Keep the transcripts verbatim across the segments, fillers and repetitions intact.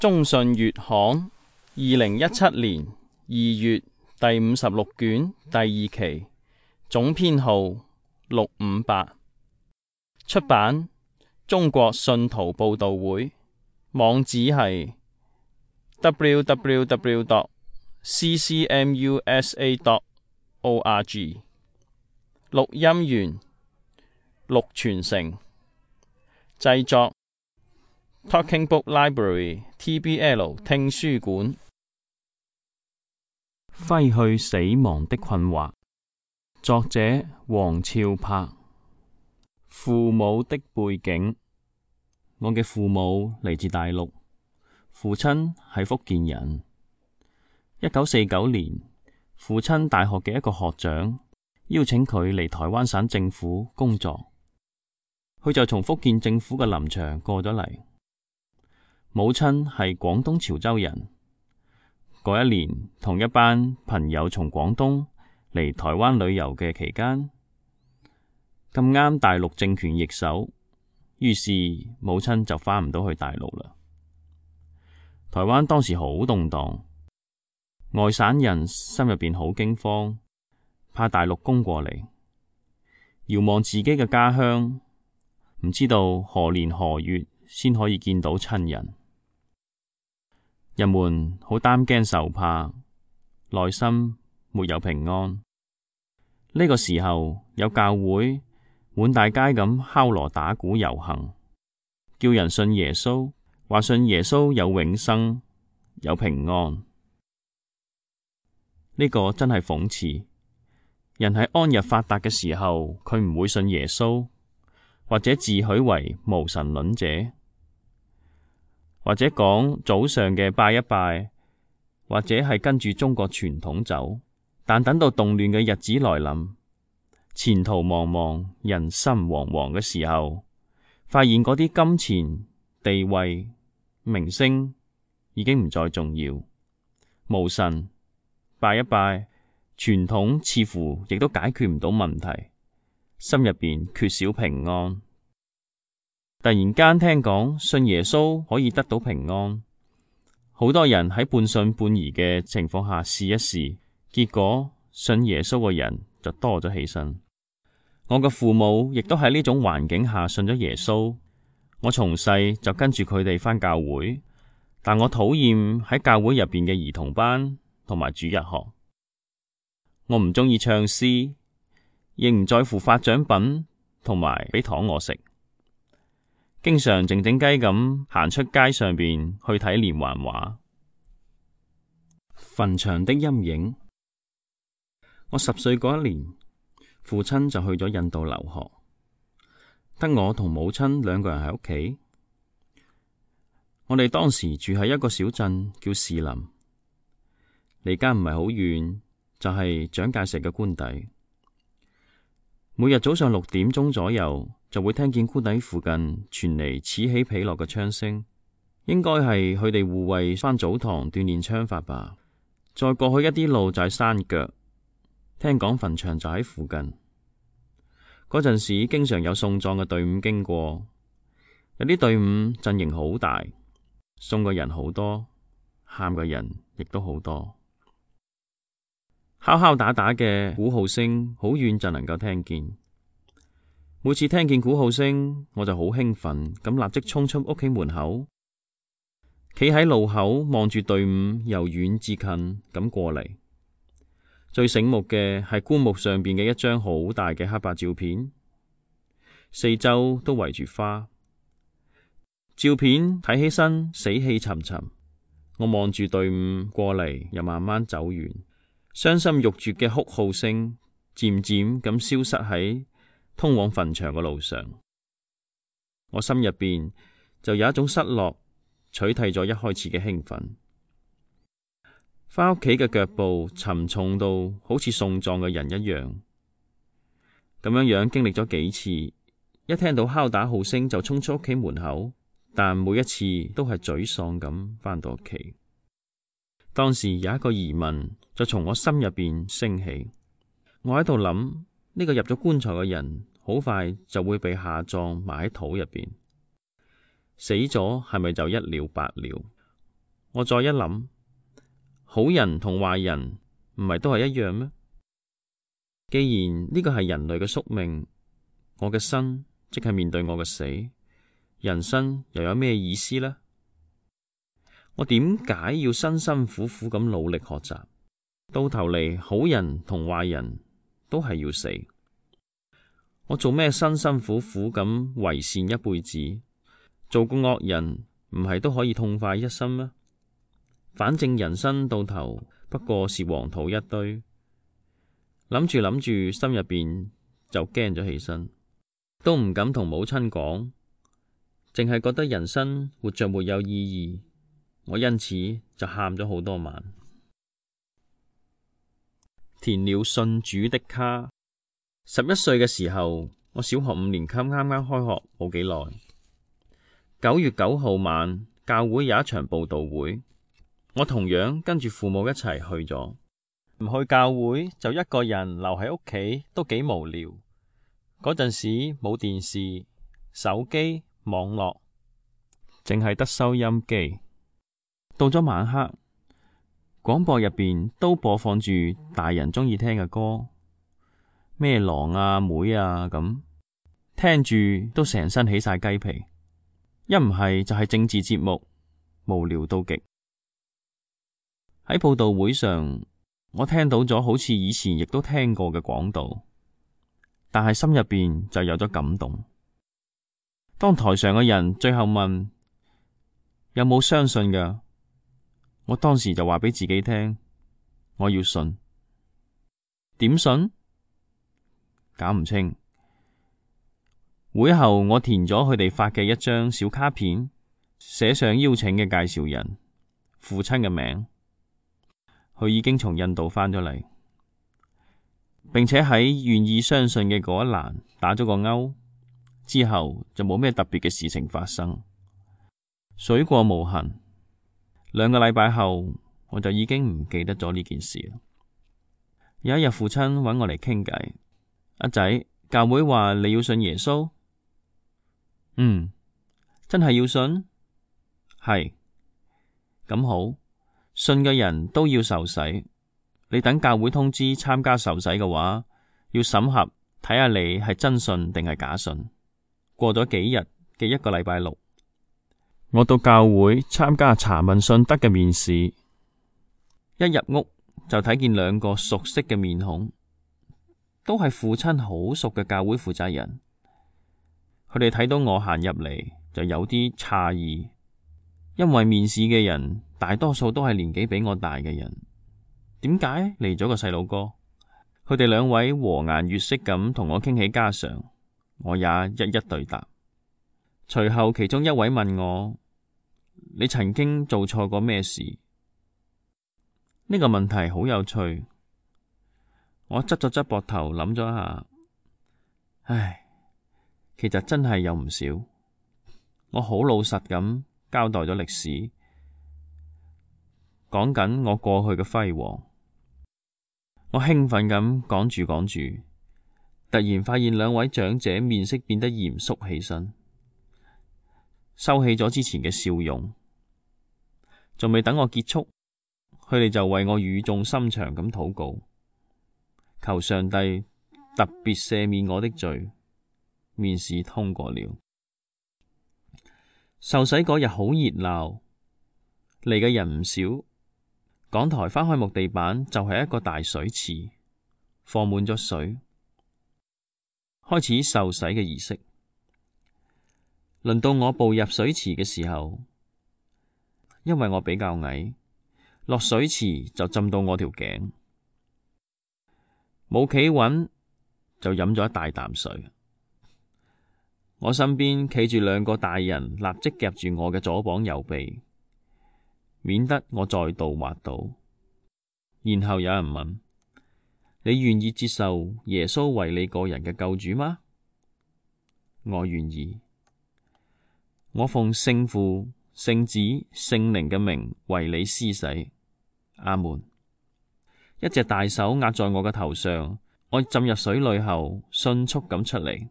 中信月刊二零一七年二月第五十六卷第二期，總編號六五八，出版中國信徒報道會，網址係 w w w dot c c m u s a dot org。 錄音員陸傳成，製作 Talking Book Library T B L 聽書館。揮去死亡的困惑，作者黃峭柏。父母的背景，我嘅父母嚟自大陸，父親係福建人。一九四九年，父親大學嘅一個學長邀請佢嚟台灣省政府工作，佢就從福建政府嘅林場過咗嚟。母親係廣東潮州人。嗰一年，同一班朋友從廣東嚟台灣旅遊嘅期間，咁啱大陸政權易手，於是母親就返唔到去大陸啦。台灣當時好動盪，外省人心入邊好驚慌，怕大陸攻過嚟，遙望自己嘅家鄉，唔知道何年何月先可以見到親人。人們好擔驚受怕，內心沒有平安。呢個時候有教會滿大街咁敲鑼打鼓遊行，叫人信耶穌，話信耶穌有永生，有平安。呢個真係諷刺。人喺安逸發達嘅時候，佢唔會信耶穌，或者自詡為無神論者，或者講早上嘅拜一拜，或者係跟住中國傳統走。但等到動亂嘅日子來臨，前途茫茫，人心惶惶嘅時候，發現嗰啲金錢、地位、名聲已經唔再重要，無神拜一拜，傳統似乎亦都解決唔到問題，心入邊缺少平安。突然間聽講信耶穌可以得到平安，好多人喺半信半疑嘅情況下試一試，結果信耶穌嘅人就多咗起身。我嘅父母亦都喺呢種環境下信咗耶穌，我從細就跟住佢哋返教會，但我討厭喺教會入邊嘅兒童班同埋主日學。我唔鍾意唱詩，亦唔在乎發獎品同埋俾糖我食。經常靜靜雞咁行出街上邊去睇連環畫。墳場的陰影。我十歲嗰一年，父親就去咗印度留學，得我同母親兩個人喺屋企。我哋當時住喺一個小鎮叫士林，離家唔係好遠，就係蔣介石嘅官邸。每日早上六點鐘左右，就會聽見官邸附近傳嚟此起彼落嘅槍聲，應該係佢哋護衛返祖堂鍛煉槍法吧。再過去一啲路就係山腳，聽講墳場就喺附近。嗰陣時經常有送葬嘅隊伍經過，有啲隊伍陣營好大，送嘅人好多，喊嘅人亦都好多。敲敲打打嘅鼓號聲好遠就能夠聽見。每次聽見鼓號聲，我就好興奮咁立即衝出屋企門口，企喺路口望住隊伍由遠至近咁過嚟。最醒目嘅係棺木上邊嘅一張好大嘅黑白照片，四周都圍住花。照片睇起身死氣沉沉，我望住隊伍過嚟又慢慢走遠，傷心欲絕嘅哭號聲漸漸咁消失喺通往墳場嘅路上。我心入邊就有一種失落，取替咗一開始嘅興奮。返屋企嘅腳步沉重到好似送葬嘅人一樣，咁樣樣經歷咗幾次，一聽到敲打號聲就衝出屋企門口，但每一次都係沮喪咁返到屋企。當時有一個疑問就從我心入邊升起，我喺度諗，呢個入咗棺材嘅人好快就會被下葬埋喺土入邊，死咗係咪就一了百了？我再一諗，好人同壞人唔係都係一樣咩？既然呢個係人類嘅宿命，我嘅生即係面對我嘅死，人生又有咩意思呢？我點解要辛辛苦苦咁努力學習？到頭嚟，好人同壞人都係要死。我做咩辛辛苦苦咁為善一輩子，做個惡人唔係都可以痛快一生咩？反正人生到頭不過是黃土一堆。諗住諗住，心入邊就驚咗起身，都唔敢同母親講，淨係覺得人生活着沒有意義。我因此就喊咗好多晚。填了信主的卡。十一歲嘅時候，我小學五年級啱啱開學冇幾耐。九月九號晚，教會有一場佈道會，我同樣跟住父母一齊去咗。唔去教會就一個人留喺屋企都幾無聊。嗰陣時冇電視、手機、網絡，淨係得收音機。到咗晚黑，廣播入邊都播放住大人鍾意聽嘅歌，咩狼啊、妹啊咁，聽住都成身起晒雞皮。一唔係就係政治節目，無聊到極。喺佈道會上，我聽到咗好似以前亦都聽過嘅講道，但係心入邊就有咗感動。當台上嘅人最後問有冇相信㗎，我當時就話俾自己聽，我要信。點信？搞唔清。會後我填咗佢哋發嘅一張小卡片，寫上邀請嘅介紹人、父親嘅名。佢已經從印度返咗嚟，並且喺願意相信嘅嗰一欄打咗個勾，之後就冇咩特別嘅事情發生，水過無痕。兩個禮拜後，我就已經唔記得咗呢件事啦。有一日，父親揾我嚟傾偈，阿仔，教會話你要信耶穌。嗯，真係要信？係，咁好。信嘅人都要受洗，你等教會通知參加受洗嘅話，要審核睇下你係真信定係假信。過咗幾日嘅一個禮拜六，我到教會參加查問信德嘅面試，一入屋就睇見兩個熟悉嘅面孔，都係父親好熟嘅教會負責人。佢哋睇到我行入嚟就有啲詫異，因為面試嘅人大多數都係年紀比我大嘅人，點解嚟咗個細佬哥？佢哋兩位和顏悅色咁同我傾起家常，我也一一對答。隨後其中一位問我：你曾經做錯過咩事？呢個問題好有趣。我側咗側膊頭諗咗一下，唉，其實真係有唔少。我好老實咁交代咗歷史，講緊我過去嘅輝煌。我興奮咁講住講住，突然發現兩位長者面色變得嚴肅起身，收起咗之前嘅笑容。仲未等我結束，佢哋就為我語重心長咁禱告，求上帝特別赦免我的罪。面試通過了。受洗嗰日好熱鬧，嚟嘅人唔少。講台翻開木地板就係一個大水池，放滿咗水。開始受洗嘅儀式。輪到我步入水池嘅時候，因為我比較矮，落水池就浸到我條頸，冇企穩就飲咗一大啖水。我身邊企住兩個大人，立即夾住我嘅左膀右臂，免得我再度滑倒。然後有人問：你願意接受耶穌為你個人嘅救主嗎？我願意。我奉聖父、聖子、聖靈嘅名為你施洗。阿門。一隻大手壓在我嘅頭上，我浸入水裏後，迅速咁出嚟，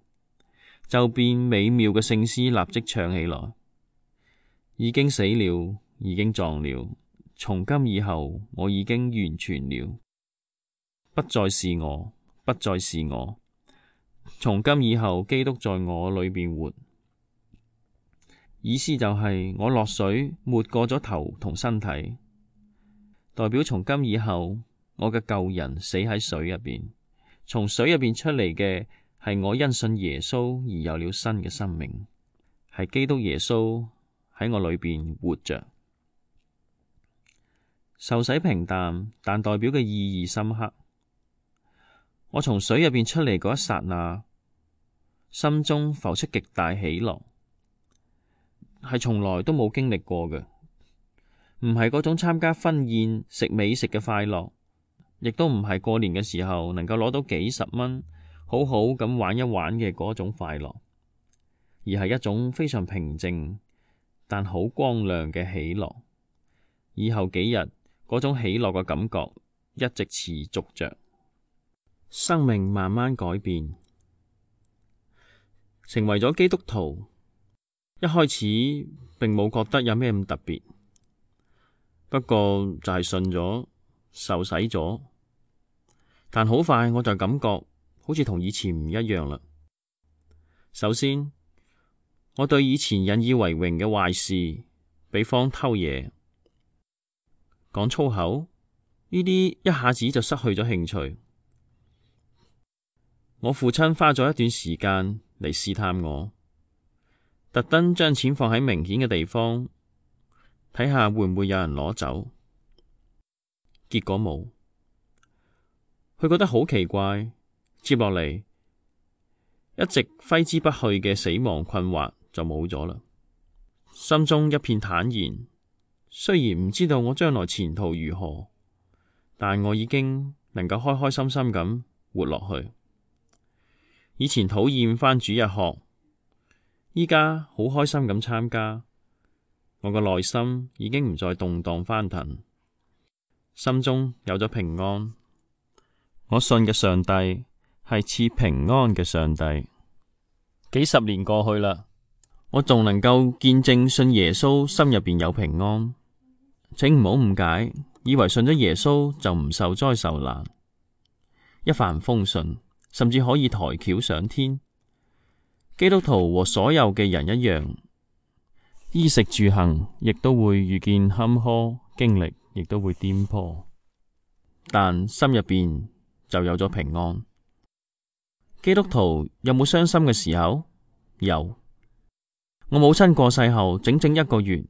就變美妙嘅聖詩立即唱起來。已經死了，已經撞了，從今以後我已經完全了，不再是我，不再是我。從今以後，基督在我裏邊活。意思就係我落水沒過咗頭同身體，代表從今以後我嘅舊人死喺水入邊，從水入邊出嚟嘅係我因信耶穌而有了新嘅生命，係基督耶穌喺我裏邊活着。受洗平淡，但代表嘅意義深刻。我從水入邊出嚟嗰一剎那，心中浮出極大喜樂。係從來都冇經歷過嘅，唔係嗰種參加婚宴食美食嘅快樂，亦都唔係過年嘅時候能夠攞到幾十蚊，好好咁玩一玩嘅嗰種快樂，而係一種非常平靜但好光亮嘅喜樂。以後幾日嗰種喜樂嘅感覺一直持續着，生命慢慢改變，成為咗基督徒。一開始並冇覺得有咩咁特別，不過就係信咗、受洗咗，但好快我就感覺好似同以前唔一樣啦。首先，我對以前引以為榮嘅壞事，比方偷嘢、講粗口，呢啲一下子就失去咗興趣。我父親花咗一段時間嚟試探我。特登將錢放喺明顯嘅地方，睇下會唔會有人攞走。結果冇，佢覺得好奇怪。接落嚟，一直揮之不去嘅死亡困惑就冇咗啦，心中一片坦然。雖然唔知道我將來前途如何，但我已經能夠開開心心咁活落去。以前討厭返主日學，依家好開心咁參加，我個內心已經唔再動盪翻騰，心中有咗平安。我信嘅上帝係賜平安嘅上帝。幾十年過去啦，我仲能夠見證信耶穌心入邊有平安。請唔好誤解，以為信咗耶穌就唔受災受難，一帆風順，甚至可以抬轎上天。基督徒和所有嘅人一樣，衣食住行亦都會遇見坎坷，經歷亦都會顛簸，但心入邊就有咗平安。基督徒有冇傷心嘅時候？有。我母親過世後整整一個月，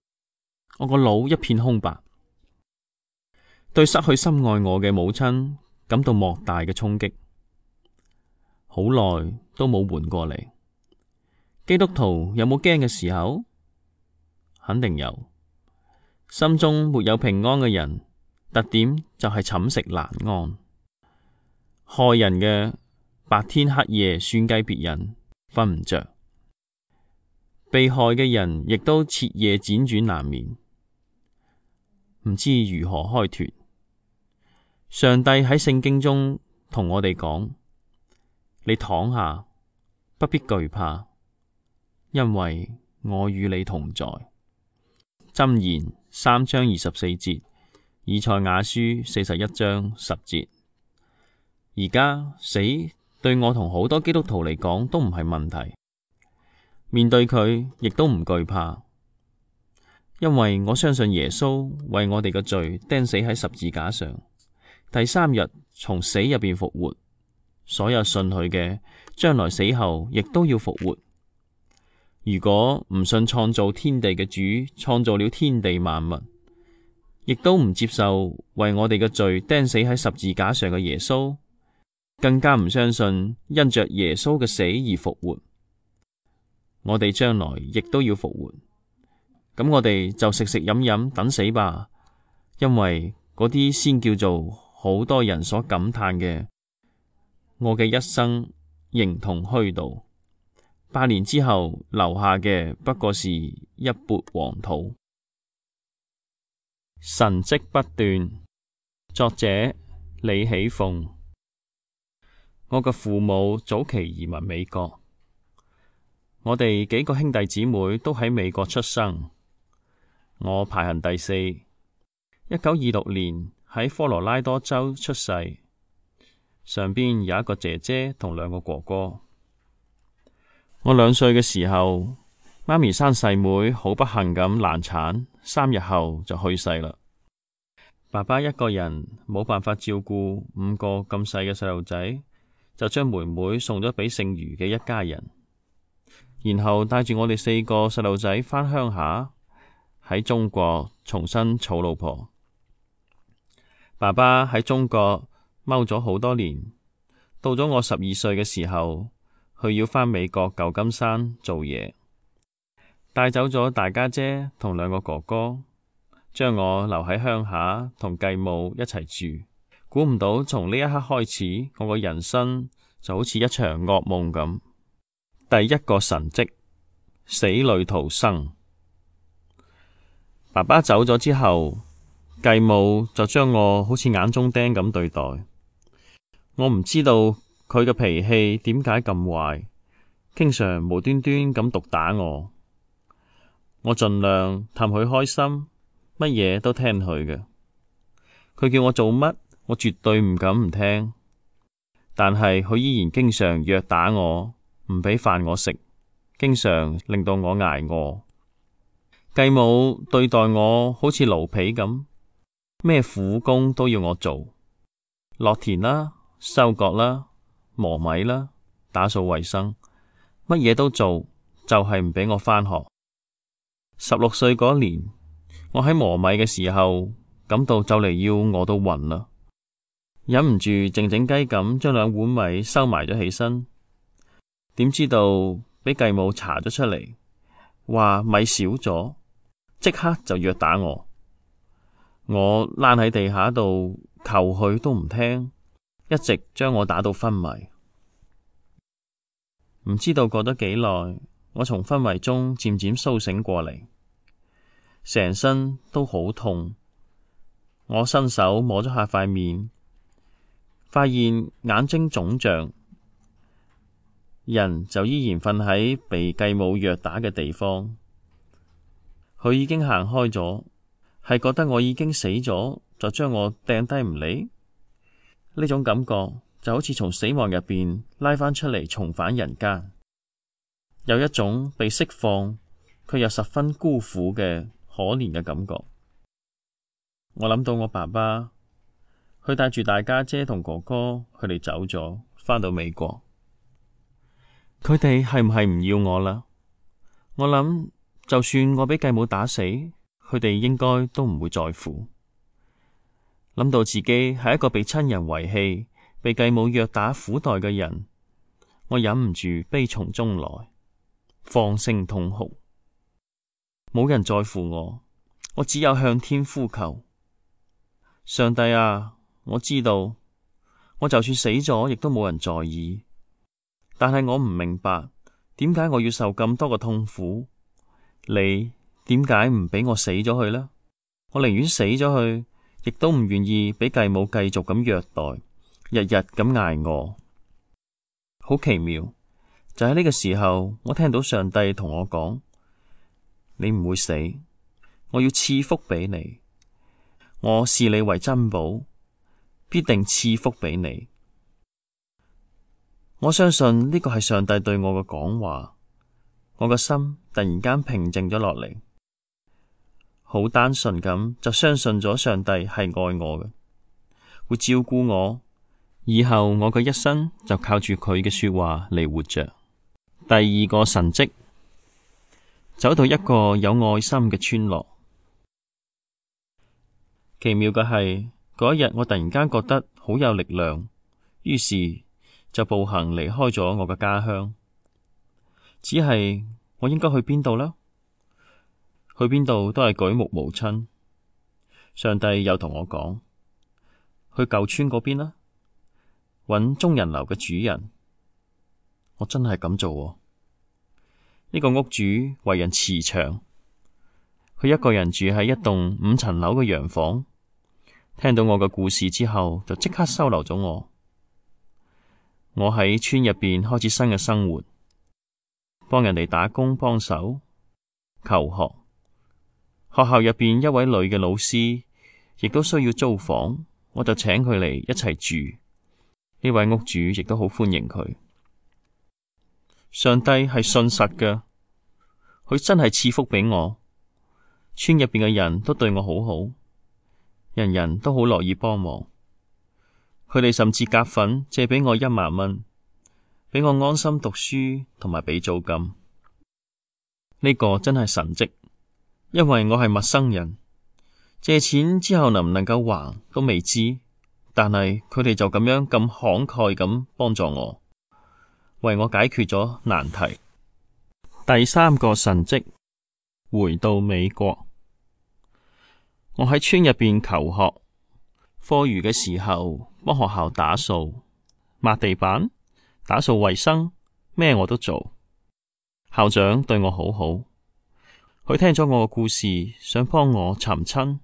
我個腦一片空白，對失去深愛我嘅母親感到莫大嘅衝擊，好耐都冇緩過嚟。基督徒有冇驚嘅時候？肯定有。心中沒有平安嘅人，特點就係寢食難安。害人嘅白天黑夜算計別人，瞓唔着；被害嘅人亦都徹夜輾轉難眠，唔知如何開脫。上帝喺聖經中同我哋講：你躺下，不必懼怕。因為我與你同在。箴言三章二十四節，以賽亞書四十一章十節。而家死對我同好多基督徒嚟講都唔係問題，面對佢亦都唔懼怕，因為我相信耶穌為我哋嘅罪釘死喺十字架上，第三日從死入邊復活。所有信佢嘅，將來死後亦都要復活。如果唔信創造天地嘅主創造了天地萬物，亦都唔接受為我哋嘅罪釘死喺十字架上嘅耶穌，更加唔相信因着耶穌嘅死而復活，我哋將來亦都要復活。咁我哋就食食飲飲等死吧，因為嗰啲先叫做好多人所感嘆嘅，我嘅一生形同虛度。百年之後留下嘅不過是一缽黃土。神蹟不斷，作者李喜鳳。我嘅父母早期移民美國，我哋幾個兄弟姊妹都喺美國出生。我排行第四。一九二六年喺科羅拉多州出世，上邊有一個姐姐同兩個哥哥。我兩歲嘅時候，媽咪生細妹，好不幸咁難產，三日後就去世啦。爸爸一個人冇辦法照顧五個咁細嘅細路仔，就將妹妹送咗俾姓余嘅一家人，然後帶住我哋四個細路仔返鄉下，喺中國重新娶老婆。爸爸喺中國踎咗好多年，到咗我十二歲嘅時候，佢要返美國舊金山做嘢，帶走咗大家姐同兩個哥哥，將我留喺鄉下同繼母一齊住。估唔到從呢一刻開始，我個人生就好似一場噩夢咁。第一個神蹟，死裏逃生。爸爸走咗之後，繼母就將我好似眼中釘咁對待。我唔知道佢嘅脾氣點解咁壞，經常無端端咁毒打我。我盡量氹佢開心，乜嘢都聽佢嘅。佢叫我做乜，我絕對唔敢唔聽。但係佢依然經常虐打我，唔畀飯我食，經常令到我挨餓。繼母對待我好似奴婢咁，咩苦工都要我做，落田啦、收割啦、磨米啦、打掃衛生，乜嘢都做，就係唔畀我返學。十六歲嗰年，我喺磨米嘅時候，感到就嚟要餓到暈啦，忍唔住靜靜雞咁將兩碗米收埋咗起身。點知道畀繼母查咗出嚟，話米少咗，即刻就虐打我。我躝喺地下度求佢都唔聽，一直將我打到昏迷。唔知道過咗幾耐，我從昏迷中漸漸蘇醒過嚟，成身都好痛。我伸手摸咗下塊面，發現眼睛腫脹，人就依然瞓喺被繼母虐打嘅地方。佢已經行開咗，係覺得我已經死咗，就將我掟低唔理。呢種感覺就好似從死亡入邊拉返出嚟，重返人間，有一種被釋放卻又十分孤苦嘅可憐嘅感覺。我諗到我爸爸，佢帶住大家姐同哥哥，佢哋走咗，返到美國。佢哋係唔係唔要我啦？我諗，就算我俾繼母打死，佢哋應該都唔會在乎。諗到自己係一個被親人遺棄、被繼母虐打苦待嘅人，我忍唔住悲從中來，放聲痛哭。冇人在乎我，我只有向天呼求。上帝啊，我知道，我就算死咗，亦都冇人在意。但係我唔明白，點解我要受咁多嘅痛苦？你點解唔畀我死咗去呢？我寧願死咗去，亦都唔願意畀繼母繼續咁虐待，日日咁挨餓。好奇妙，就喺呢個時候，我聽到上帝同我講：你唔會死，我要賜福畀你。我視你為珍寶，必定賜福畀你。我相信呢個係上帝對我嘅講話，我個心突然間平靜咗落嚟，好單純咁就相信咗上帝係愛我嘅，會照顧我，以後我嘅一生就靠住佢嘅說話嚟活着。第二個神蹟，走到一個有愛心嘅村落。奇妙嘅係，嗰一日我突然間覺得好有力量，於是就步行離開咗我嘅家鄉。只係我應該去邊度呢？去邊度都係舉目無親。上帝又同我講：去舊村嗰邊啦，搵中人樓嘅主人。我真係咁做喎。呢個屋主為人慈祥，佢一個人住喺一棟五層樓嘅洋房。聽到我嘅故事之後，就即刻收留咗我。我喺村入邊開始新嘅生活，幫人哋打工幫手求學。學校入邊一位女嘅老師亦都需要租房，我就請佢嚟一齊住。呢位屋主亦都好歡迎佢。上帝係信實嘅，佢真係賜福俾我。村入邊嘅人都對我好好，人人都好樂意幫忙。佢哋甚至夾份借俾我一萬蚊，俾我安心讀書同埋俾租金。呢個真係神蹟，因為我係陌生人，借錢之後能唔能夠還都未知，但係佢哋就咁樣咁慷慨咁幫助我，為我解決咗難題。第三個神蹟，回到美國。我喺村入邊求學，課餘嘅時候幫學校打掃、抹地板、打掃衛生，咩我都做。校長對我好好，佢聽咗我嘅故事，想幫我尋親。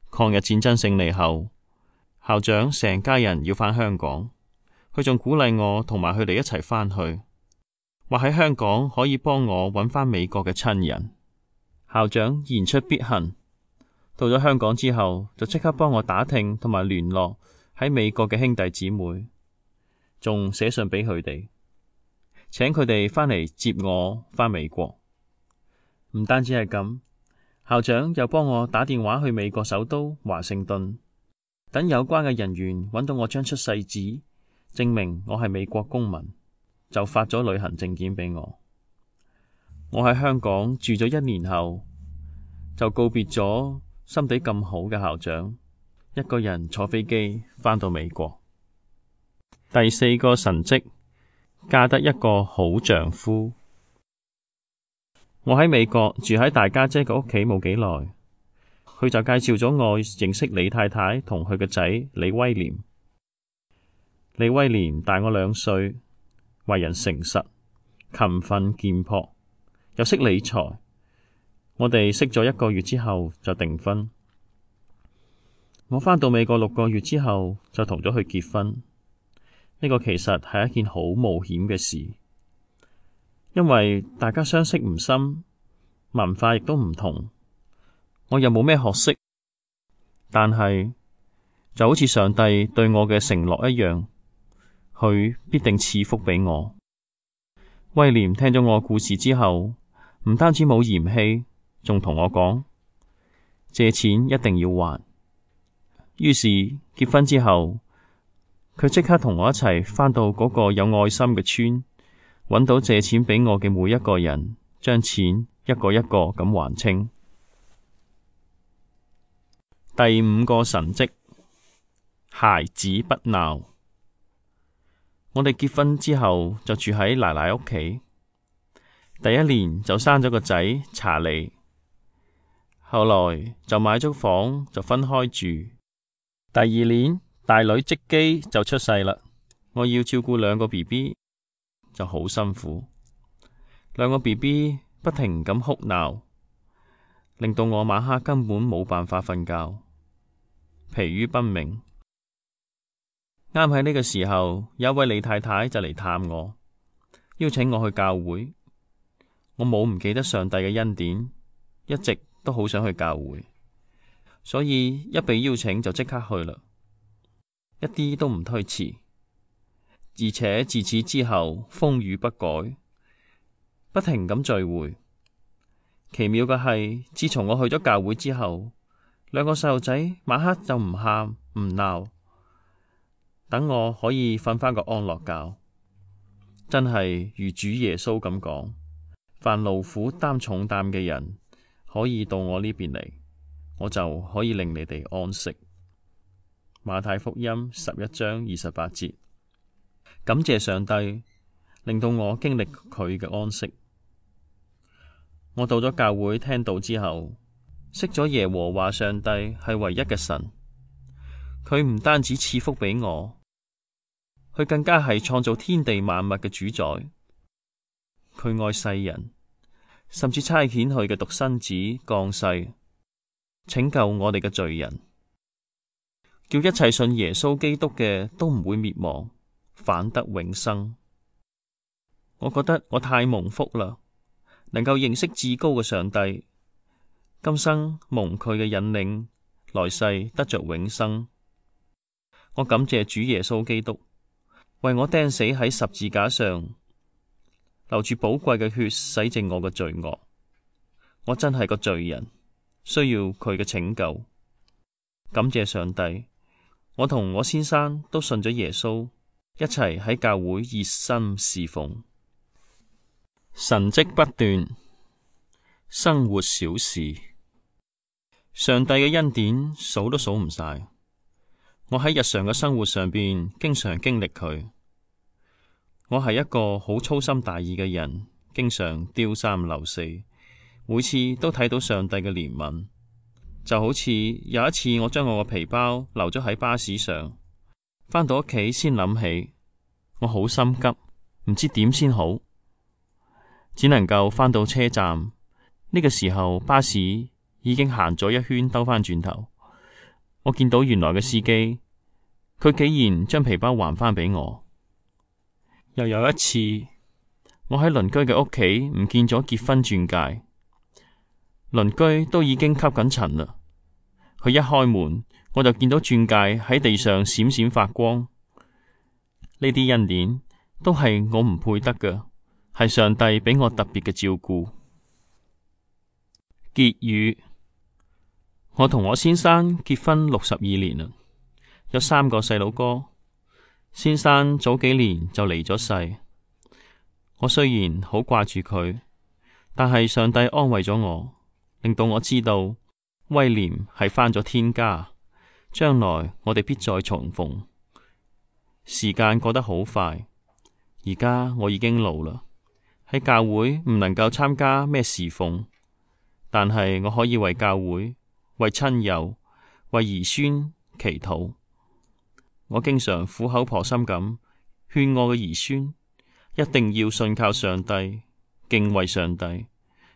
抗日戰爭勝利後，校長成家人要返香港，佢仲鼓勵我同埋佢哋一齊返去，話喺香港可以幫我揾返美國嘅親人。校長言出必行，到咗香港之後就即刻幫我打聽同埋聯絡喺美國嘅兄弟姊妹，仲寫信俾佢哋，請佢哋返嚟接我返美國。唔單止係咁，校長又幫我打電話去美國首都華盛頓，等有關嘅人員揾到我張出世紙，證明我係美國公民，就發咗旅行證件俾我。我喺香港住咗一年後，就告別咗心地咁好嘅校長，一個人坐飛機返到美國。第四個神蹟，嫁得一個好丈夫。我喺美國住喺大家姐嘅屋企冇幾耐，佢就介紹咗我認識李太太同佢個仔李威廉。李威廉大我兩歲，為人誠實、勤奮儉樸，又識理財。我哋識咗一個月之後就訂婚。我返到美國六個月之後就同咗佢結婚。呢個其實係一件好冒險嘅事，因為大家相識唔深，文化亦都唔同，我又冇咩學識，但係就好似上帝對我嘅承諾一樣，佢必定賜福俾我。威廉聽咗我故事之後，唔單止冇嫌棄，仲同我講借錢一定要還。於是結婚之後，佢即刻同我一齊返到嗰個有愛心嘅村，揾到借錢俾我嘅每一個人，將錢一個一個咁還清。第五個神蹟，孩子不鬧。我哋結婚之後就住喺奶奶屋企，第一年就生咗個仔查理，後來就買咗房就分開住。第二年大女積基就出世啦，我要照顧兩個 B B 就好辛苦，兩個 B B 不停咁哭鬧，令到我晚黑根本冇辦法瞓覺，疲於奔命。啱喺呢個時候，有一位李太太就嚟探我，邀請我去教會。我冇唔記得上帝嘅恩典，一直都好想去教會，所以一被邀請就即刻去啦，一啲都唔推遲。而且自此之後風雨不改，不停咁聚會。奇妙嘅係，自從我去咗教會之後，兩個細路仔晚黑就唔喊唔鬧，等我可以瞓返個安樂覺。真係如主耶穌咁講，凡勞苦擔重擔嘅人可以到我呢邊嚟，我就可以令你哋安息。馬太福音十一章二十八節。感謝上帝令到我經歷佢嘅安息。我到咗教會聽道之後，識咗耶和華上帝係唯一嘅神。佢唔單止賜福俾我，佢更加係創造天地萬物嘅主宰。佢愛世人，甚至差遣佢嘅獨生子降世，拯救我哋嘅罪人，叫一切信耶穌基督嘅都唔會滅亡，反得永生。我覺得我太蒙福啦，能夠認識至高嘅上帝，今生蒙佢嘅引領，來世得着永生。我感謝主耶穌基督，為我釘死喺十字架上，流住寶貴嘅血，洗淨我嘅罪惡。我真係個罪人，需要佢嘅拯救。感謝上帝，我同我先生都信咗耶穌，一齊喺教會熱心侍奉。神蹟不斷，生活小事，上帝嘅恩典數都數唔晒。我喺日常嘅生活上邊，經常經歷佢。我係一個好粗心大意嘅人，經常丟三漏四，每次都睇到上帝嘅憐憫。就好似有一次，我將我個皮包留咗喺巴士上，返到屋企先諗起，我好心急，唔知點先好，只能夠返到車站。呢個時候巴士已經行咗一圈，兜返轉頭，我見到原來嘅司機，佢竟然將皮包還返俾我。又有一次，我喺鄰居嘅屋企唔見咗結婚鑽戒，鄰居都已經吸緊塵啦。佢一開門，我就見到鑽戒喺地上閃閃發光。呢啲恩典都係我唔配得嘅，係上帝俾我特別嘅照顧。結語：我同我先生結婚六十二年啦，有三個細佬哥。先生早幾年就離咗世。我雖然好掛住佢，但係上帝安慰咗我，令到我知道威廉係返咗天家，將來我哋必再重逢。時間過得好快，而家我已經老啦，喺教會唔能夠參加咩侍奉，但係我可以為教會、為親友、為兒孫祈禱。我經常苦口婆心咁勸我嘅兒孫，一定要信靠上帝，敬畏上帝，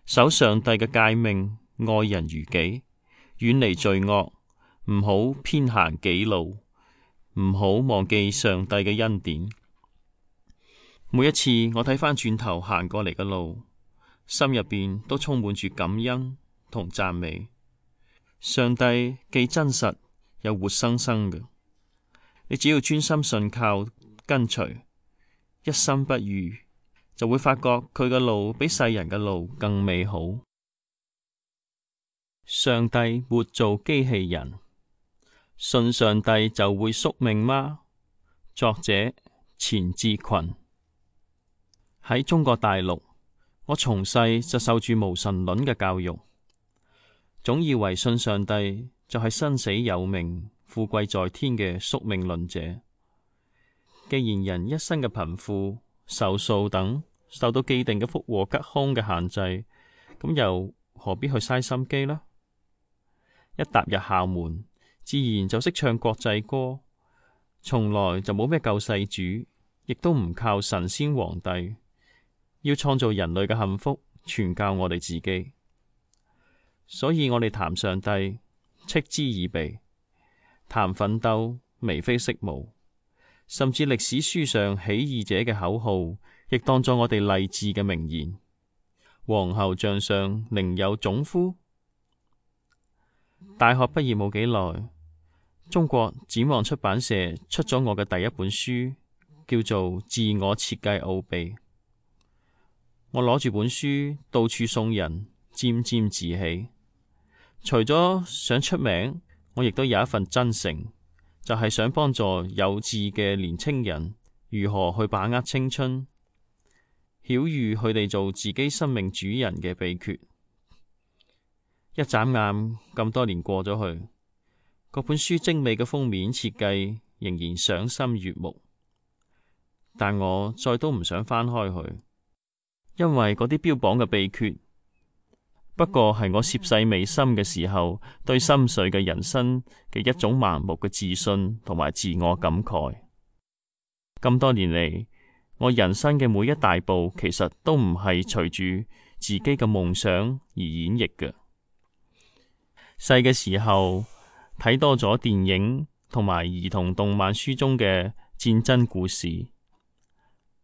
守上帝嘅誡命，愛人如己，遠離罪惡，唔好偏行己路，唔好忘記上帝嘅恩典。每一次我睇返轉頭行過嚟嘅路，心入邊都充滿住感恩同讚美。上帝既真實又活生生嘅。你只要專心信靠跟隨，一心不渝，就會發覺佢嘅路比世人嘅路更美好。上帝沒做機器人，信上帝就會宿命嗎？作者錢志群。喺中國大陸，我從細就受住無神論嘅教育，總以為信上帝就係生死有命、富貴在天嘅宿命論者。既然人一生嘅貧富、壽數等受到既定嘅福禍吉凶嘅限制，咁又何必去嘥心機呢？一踏入校門，自然就識唱國際歌，從來就冇咩救世主，亦都唔靠神仙皇帝。要創造人類嘅幸福，全靠我哋自己。所以我哋談上帝，嗤之以鼻。談奮鬥，眉飛色舞，甚至歷史書上起義者嘅口號，亦當作我哋勵志嘅名言。皇后像上寧有種乎？大學畢業冇幾耐，中國展望出版社出咗我嘅第一本書，叫做《自我設計奧秘》。我攞住本書到處送人，沾沾自喜。除咗想出名，我亦都有一份真誠，就係想幫助有志嘅年青人如何去把握青春，曉諭佢哋做自己生命主人嘅秘訣。一眨眼咁多年過咗去，嗰本書精美嘅封面設計仍然賞心悅目，但我再都唔想翻開佢，因為嗰啲標榜嘅秘訣，不過係我涉世未深嘅時候對深邃嘅人生嘅一種盲目嘅自信同埋自我感慨。咁多年嚟，我人生嘅每一大步，其實都唔係隨住自己嘅夢想而演繹嘅。細嘅時候睇多咗電影同埋兒童動漫書中嘅戰爭故事，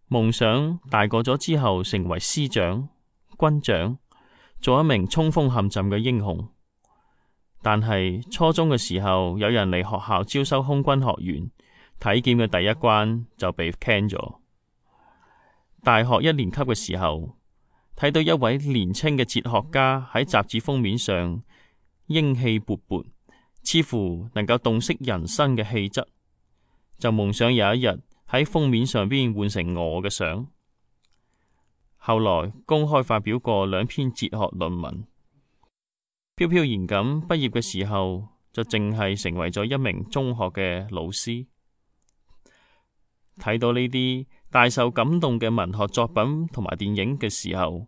夢想大個咗之後成為師長、軍長，做一名衝鋒陷陣嘅英雄。但係初中嘅時候，有人嚟學校招收空軍學員，體檢嘅第一關就被 can 咗。大學一年級嘅時候，睇到一位年輕嘅哲學家喺雜誌封面上英氣勃勃，似乎能夠洞悉人生嘅氣質，就夢想有一日喺封面上邊換成我嘅相。後來公開發表過兩篇哲學論文，飄飄然咁畢業嘅時候就淨係成為咗一名中學嘅老師。睇到呢啲大受感動嘅文學作品同埋電影嘅時候，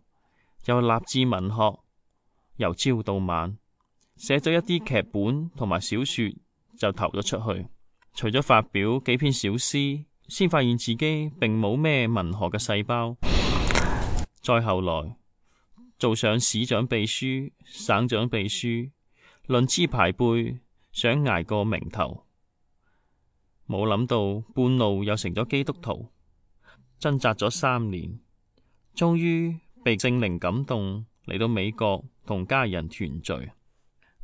又立志文學，由朝到晚寫咗一啲劇本同埋小說就投咗出去。除咗發表幾篇小詩，先發現自己並冇咩文學嘅細胞。再後來做上市長秘書、省長秘書，論資排輩，想捱個名頭。冇諗到半路又成咗基督徒，掙扎咗三年，終於被聖靈感動嚟到美國同家人團聚。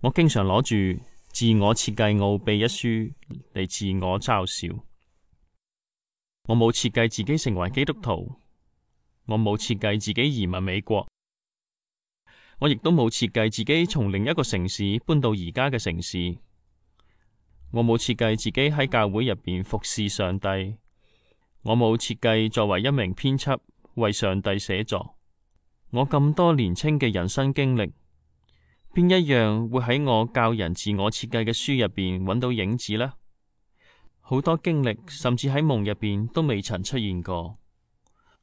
我經常攞住《自我設計奧秘》一書嚟自我嘲笑。我冇設計自己成為基督徒，我冇設計自己移民美國，我亦都冇設計自己從另一個城市搬到而家嘅城市。我冇設計自己喺教會入邊服侍上帝，我冇設計作為一名編輯為上帝寫作。我咁多年青嘅人生經歷，邊一樣會喺我教人自我設計嘅書入邊揾到影子呢？好多經歷甚至喺夢入邊都未曾出現過。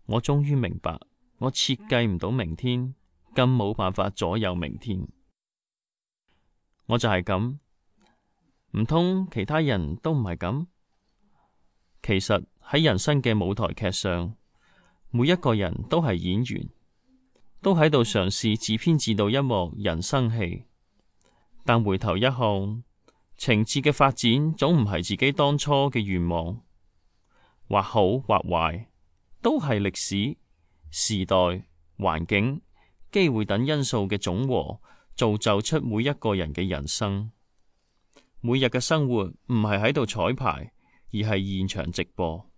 我終於明白，我設計唔到明天，更冇辦法左右明天。我就係咁。唔通其他人都唔係咁？其實喺人生嘅舞台劇上，每一個人都係演員，都喺度嘗試自編自導一幕人生戲。但回頭一看，情節嘅發展總唔係自己當初嘅願望，或好或壞，都係歷史、時代、環境、機會等因素嘅總和，造就出每一個人嘅人生。每日嘅生活唔係喺度彩排，而係現場直播。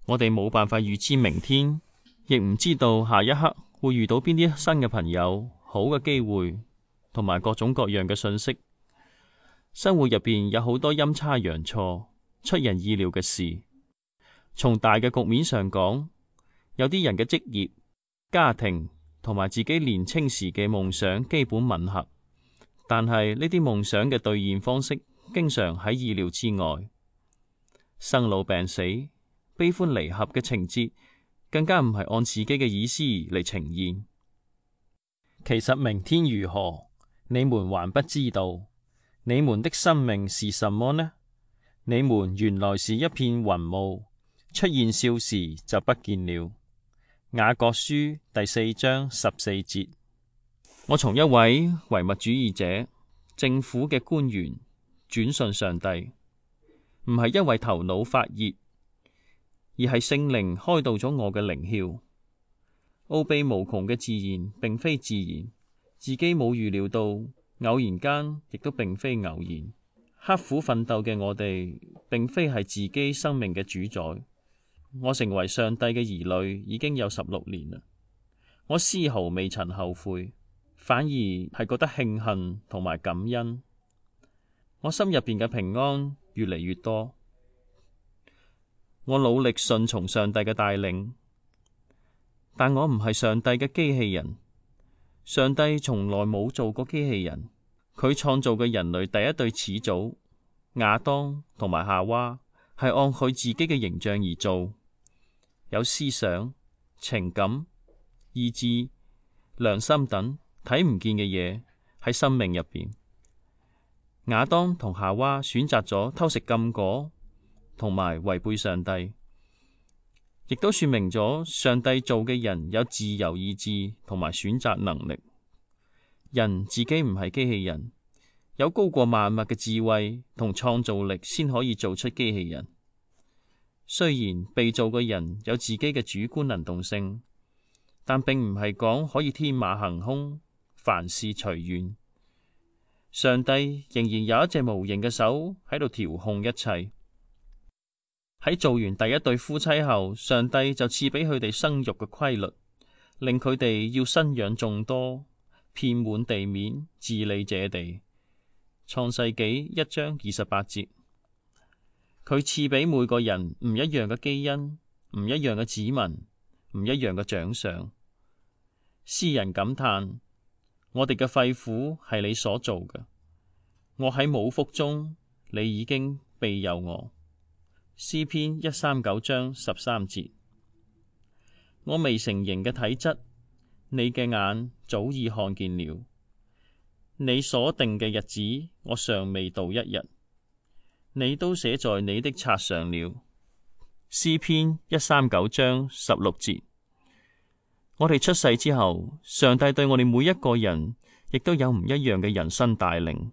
我哋冇辦法預知明天，亦唔知道下一刻會遇到邊啲新嘅朋友、好嘅機會，同埋各種各樣嘅信息。生活入邊有好多陰差陽錯、出人意料嘅事。從大嘅局面上講，有啲人嘅職業、家庭同埋自己年青時嘅夢想基本吻合。但係呢啲夢想嘅兌現方式，經常喺意料之外。生老病死、悲歡離合嘅情節，更加唔係按自己嘅意思嚟呈現。其實明天如何，你們還不知道。你們的生命是什麼呢？你們原來是一片雲霧，出現少時就不見了。雅各書第四章十四節。我從一位唯物主義者、政府嘅官員轉信上帝，唔係因為頭腦發熱，而係聖靈開導咗我嘅靈竅。奧秘無窮嘅自然並非自然，自己冇預料到，偶然間亦都並非偶然。刻苦奮鬥嘅我哋，並非係自己生命嘅主宰。我成為上帝嘅兒女已經有十六年啦，我絲毫未曾後悔。反而係覺得慶幸同埋感恩，我心入邊嘅平安越嚟越多。我努力順從上帝嘅帶領，但我唔係上帝嘅機器人。上帝從來冇做過機器人，佢創造嘅人類第一對始祖亞當同埋夏娃，係按佢自己嘅形象而做，有思想、情感、意志、良心等睇唔見嘅嘢喺生命入邊。亞當同夏娃選擇咗偷食禁果，同埋違背上帝，亦都說明咗上帝做嘅人有自由意志同埋選擇能力。人自己唔係機器人，有高過萬物嘅智慧同創造力，先可以做出機器人。雖然被造嘅人有自己嘅主觀能動性，但並唔係講可以天馬行空，凡事隨願。上帝仍然有一隻無形嘅手喺度調控一切。喺做完第一對夫妻後，上帝就賜俾佢哋生育嘅規律，令佢哋要生養眾多，遍滿地面，治理這地。創世紀一章二十八節。佢賜俾每個人唔一樣嘅基因，唔一樣嘅指紋，唔一樣嘅長相。詩人感嘆：我哋嘅肺腑係你所做嘅，我喺母腹中，你已經庇佑我。詩篇一三九章十三節。我未成形嘅體質，你嘅眼早已看見了。你所定嘅日子，我尚未到一日，你都寫在你的冊上了。詩篇一三九章十六節。我哋出世之後，上帝對我哋每一個人，亦都有唔一樣嘅人生帶領。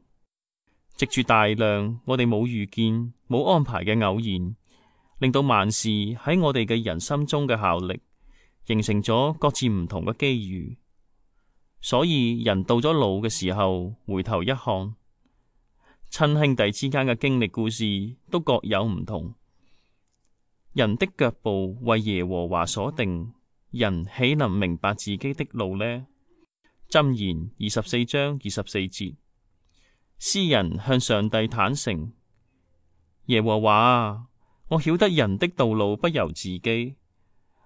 藉住大量我哋冇預見、冇安排嘅偶然，令到萬事喺我哋嘅人心中嘅效力，形成咗各自唔同嘅機遇。所以人到咗老嘅時候，回頭一看，親兄弟之間嘅經歷故事都各有唔同。人的腳步為耶和華所定，人豈能明白自己的路呢？箴言二十四章二十四節。詩人向上帝坦誠：耶和華啊，我曉得人的道路不由自己，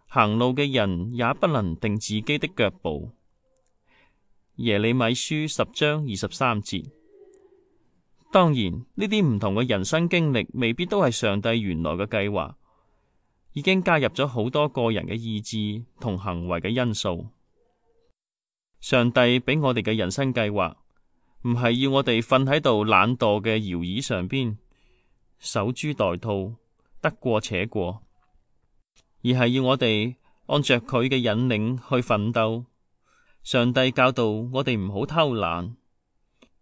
行路嘅人也不能定自己的腳步。耶利米書十章二十三節。當然，呢啲唔同嘅人生經歷未必都係上帝原來嘅計劃，已經加入咗好多個人嘅意志同行為嘅因素。上帝俾我哋嘅人生計劃，唔係要我哋瞓喺度懶惰嘅搖椅上邊，守株待兔，得過且過，而係要我哋按着佢嘅引領去奮鬥。上帝教導我哋唔好偷懶，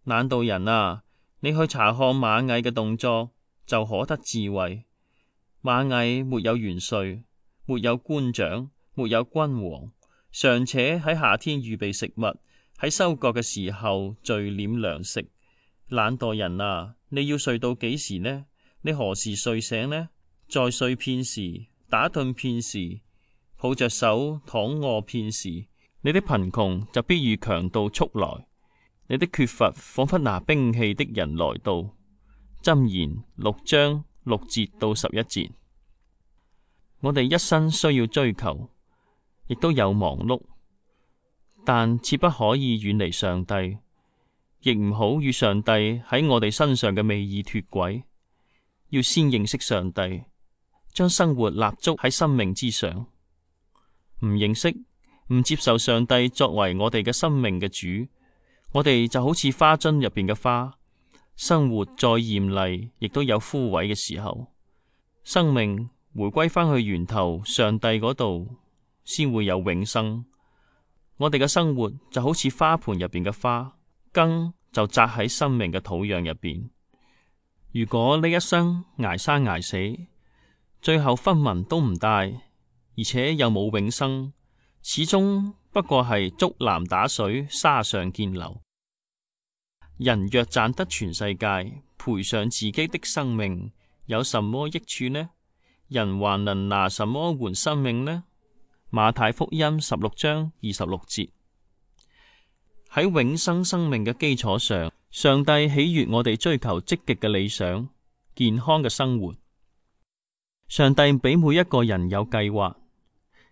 懶惰人啊，你去查看螞蟻嘅動作，就可得智慧。螞蟻沒有元帥，沒有官長，沒有君王，尚且喺夏天預備食物，喺收割嘅時候聚斂糧食。懶惰人啊，你要睡到幾時呢？你何時睡醒呢？再睡片時，打盹片時，抱着手躺臥片時，你的貧窮就必如強盜速來，你的缺乏仿佛拿兵器的人來到。箴言六章六節到十一節。我哋一生需要追求，亦都有忙碌，但切不可以遠離上帝，亦唔好與上帝喺我哋身上嘅美意脫軌。要先認識上帝，將生活立足喺生命之上。唔認識、唔接受上帝作為我哋嘅生命嘅主，我哋就好似花樽入邊嘅花，生活再艷麗，亦都有枯萎嘅時候。生命回歸返去源頭上帝嗰度，先會有永生。我哋嘅生活就好似花盆入邊嘅花，根就扎喺生命嘅土壤入邊。如果呢一生捱生捱死，最後分文都唔帶，而且又冇永生，始終不過係竹籃打水，沙上見流。人若賺得全世界，賠上自己的生命，有什麼益處呢？人還能拿什麼換生命呢？馬太福音十六章二十六節。喺永生生命嘅基礎上，上帝喜悅我哋追求積極嘅理想、健康嘅生活。上帝俾每一個人有計劃，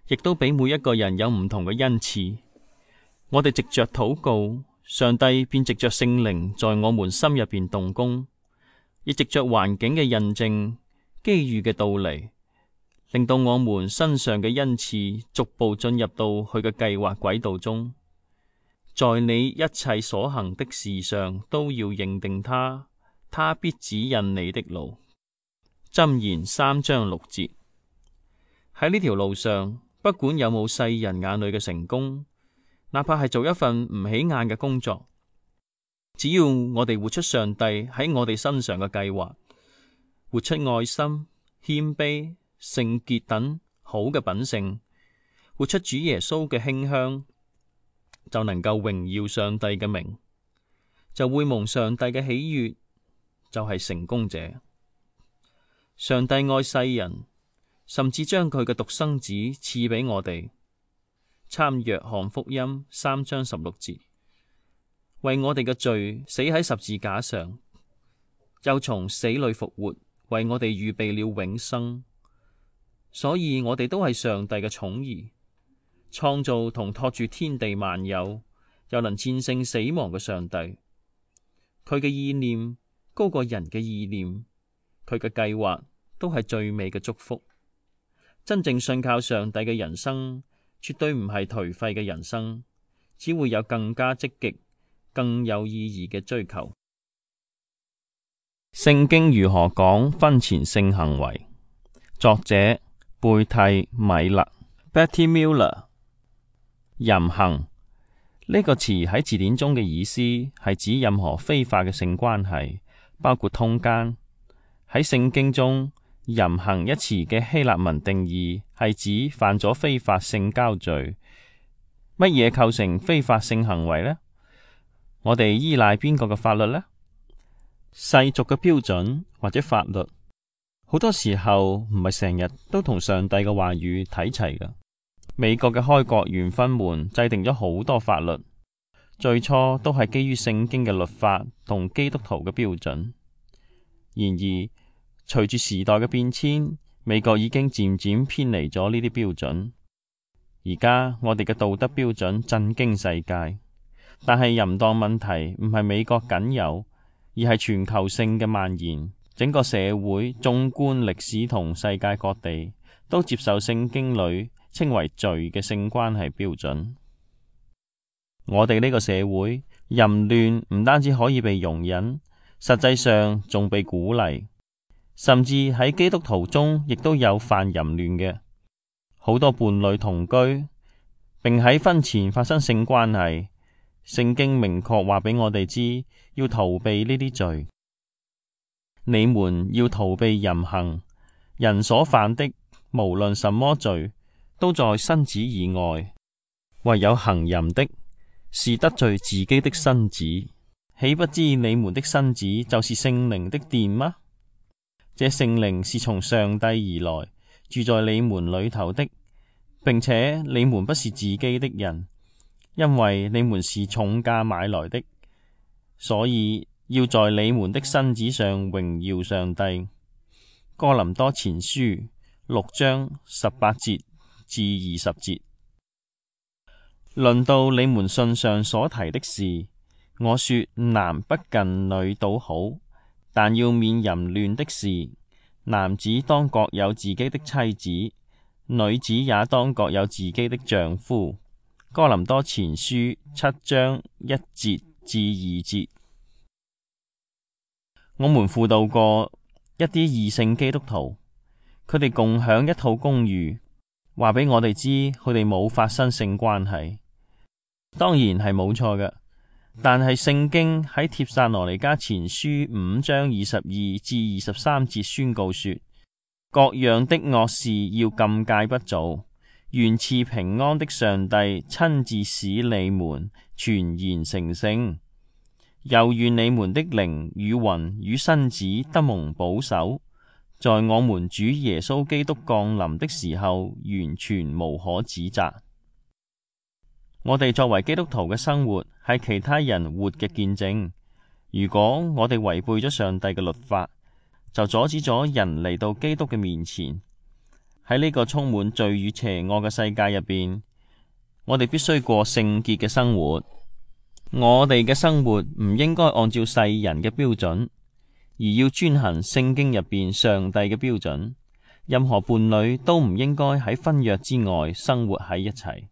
亦都俾每一個人有唔同嘅恩賜。我哋藉着禱告，上帝便藉着聖靈在我們心入邊動工，亦藉着環境嘅印證、機遇嘅到嚟，令到我們身上嘅恩賜逐步進入到佢嘅計劃軌道中。在你一切所行的事上都要認定他，他必指引你的路。箴言三章六節。喺呢條路上，不管有冇世人眼裏嘅成功，哪怕係做一份唔起眼嘅工作，只要我哋活出上帝喺我哋身上嘅計劃，活出愛心、謙卑、聖潔等好嘅品性，活出主耶穌嘅馨香，就能夠榮耀上帝嘅名。就會蒙上帝嘅喜悅，就係成功者。上帝愛世人，甚至將佢嘅獨生子賜俾我哋。參約翰福音三章十六節，為我哋嘅罪死喺十字架上，又從死裏復活，為我哋預備了永生。所以我哋都係上帝嘅寵兒，創造同托住天地萬有，又能戰勝死亡嘅上帝。佢嘅意念高過人嘅意念，佢嘅計劃都係最美嘅祝福。真正信靠上帝嘅人生，絕對唔係頹廢嘅人生，只會有更加積極、更有意義嘅追求。聖經如何講婚前性行為？作者貝蒂米勒 Betty Miller。淫行呢個詞喺字典中嘅意思係指任何非法嘅性關係，包括通姦。喺聖經中，淫行一詞嘅希臘文定義係指犯咗非法性交罪。乜嘢構成非法性行為呢？我哋依賴邊個嘅法律呢？世俗嘅標準或者法律，好多時候唔係成日都同上帝嘅話語睇齊㗎。美國嘅開國元勳們制定咗好多法律，最初都係基於聖經嘅律法同基督徒嘅標準。然而，隨住時代嘅變遷，美國已經漸漸偏離咗呢啲標準。而家我哋嘅道德標準震驚世界，但係淫蕩問題唔係美國僅有，而係全球性嘅蔓延。整個社會縱觀歷史同世界各地，都接受聖經裏稱為罪嘅性關係標準。我哋呢個社會，淫亂唔單止可以被容忍，實際上仲被鼓勵。甚至喺基督徒中，亦都有犯淫亂嘅。好多伴侶同居，並喺婚前發生性關係。聖經明確話俾我哋知，要逃避呢啲罪。你們要逃避淫行，人所犯的，無論什麼罪，都在身子以外。唯有行淫的，是得罪自己的身子。豈不知你們的身子就是聖靈的殿嗎？這聖靈是從上帝而來，住在你們裏頭的，並且你們不是自己的人，因為你們是重價買來的，所以要在你們的身子上榮耀上帝。哥林多前書六章十八節至二十節。論到你們信上所提的事，我說男不近女倒好，但要免淫亂的事。男子當各有自己的妻子，女子也當各有自己的丈夫。哥林多前書七章一節至二節。我們輔導過一啲異性基督徒，佢哋共享一套公寓，話俾我哋知佢哋冇發生性關係。當然係冇錯嘅。但係聖經喺帖撒羅尼迦前書五章二十二至二十三節宣告說，各樣的惡事要禁戒不做，願賜平安的上帝親自使你們全然成聖，又願你們的靈與魂與身子得蒙保守，在我們主耶穌基督降臨的時候完全無可指責。我哋作為基督徒嘅生活係其他人活嘅見證。如果我哋違背咗上帝嘅律法，就阻止咗人嚟到基督嘅面前。喺呢個充滿罪與邪惡嘅世界入邊，我哋必須過聖潔嘅生活。我哋嘅生活唔應該按照世人嘅標準，而要遵行聖經入邊上帝嘅標準。任何伴侶都唔應該喺婚約之外生活喺一齊。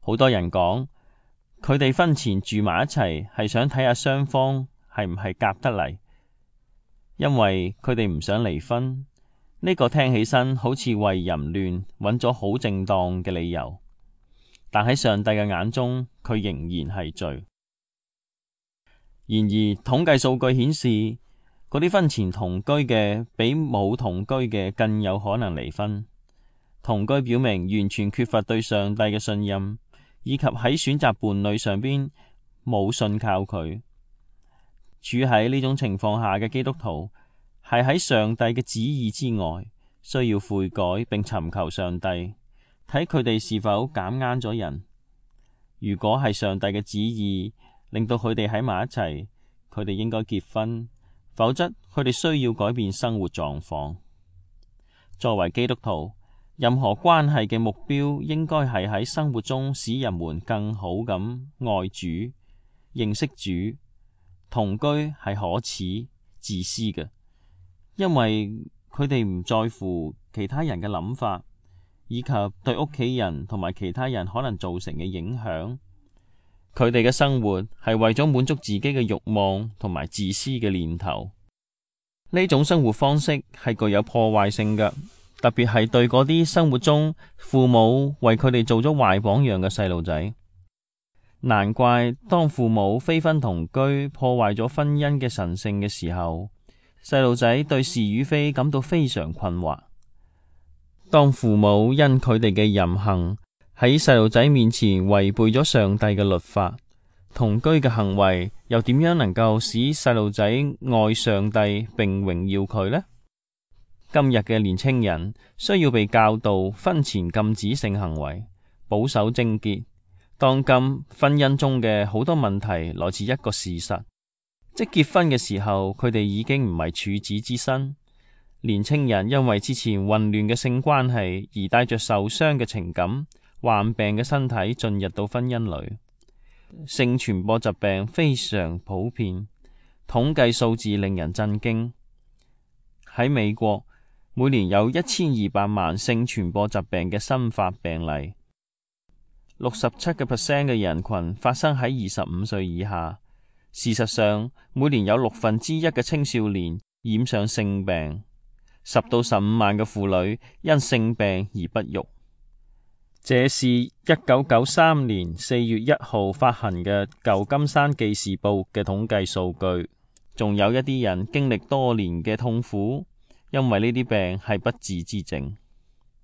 好多人講，佢哋婚前住埋一齊係想睇下雙方係唔係夾得嚟，因為佢哋唔想離婚。呢個聽起身好似為淫亂揾咗好正當嘅理由，但喺上帝嘅眼中，佢仍然係罪。然而，統計數據顯示，嗰啲婚前同居嘅比冇同居嘅更有可能離婚。同居表明完全缺乏對上帝嘅信任，以及喺選擇伴侶上邊冇信靠佢。處喺呢種情況下嘅基督徒，係喺上帝嘅旨意之外，需要悔改並尋求上帝，睇佢哋是否揀啱咗人。如果係上帝嘅旨意令到佢哋喺埋一齊，佢哋應該結婚，否則佢哋需要改變生活狀況。作為基督徒，任何關係嘅目標應該係喺生活中使人們更好咁愛主、認識主。同居係可恥、自私嘅，因為佢哋唔在乎其他人嘅諗法，以及對屋企人同埋其他人可能造成嘅影響。佢哋嘅生活係為咗滿足自己嘅慾望同埋自私嘅念頭。呢種生活方式係具有破壞性嘅，特別係對嗰啲生活中父母為佢哋做咗壞榜樣嘅細路仔。難怪當父母非婚同居破壞咗婚姻嘅神聖嘅時候，細路仔對是與非感到非常困惑。當父母因佢哋嘅淫行喺細路仔面前違背咗上帝嘅律法，同居嘅行為又點樣能夠使細路仔愛上帝並榮耀佢呢？今日嘅年青人需要被教導婚前禁止性行為，保守貞潔。當今婚姻中嘅好多問題來自一個事實，即結婚嘅時候佢哋已經唔係處子之身。年青人因為之前混亂嘅性關係而帶着受傷嘅情感、患病嘅身體進入到婚姻裏。性傳播疾病非常普遍，統計數字令人震驚。喺美國，每年有一千二百萬性傳播疾病嘅新發病例。六十七個 percent 嘅人群發生喺二十五歲以下。事實上，每年有六分之一嘅青少年染上性病，十到十五萬嘅婦女因性病而不育。這是一九九三年四月一號發行嘅舊金山紀事報嘅統計數據。仲有一啲人經歷多年嘅痛苦，因為呢啲病係不治之症。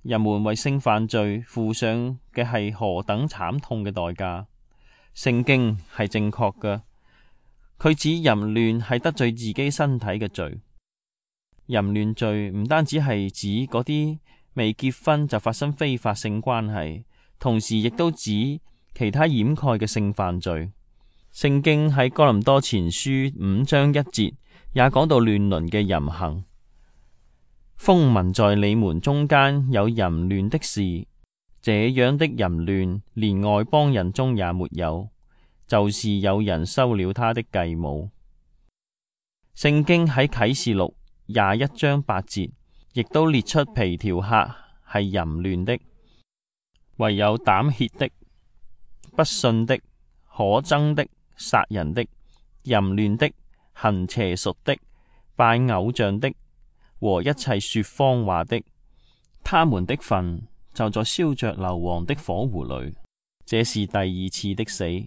人們為性犯罪付上嘅係何等慘痛嘅代價。聖經係正確嘅，佢指淫亂係得罪自己身體嘅罪。淫亂罪唔單止係指嗰啲未結婚就發生非法性關係，同時亦都指其他掩蓋嘅性犯罪。聖經喺哥林多前書五章一節也講到亂倫嘅淫行。風聞在你們中間有淫亂的事，這樣的淫亂連外邦人中也沒有，就是有人收了他的繼母。聖經喺啟示錄廿一章八節亦都列出皮條客係淫亂的，唯有膽怯的、不信的、可憎的、殺人的、淫亂的、行邪術的、拜偶像的和一切說謊話的，他們的份就在燒着硫磺的火湖裏。這是第二次的死。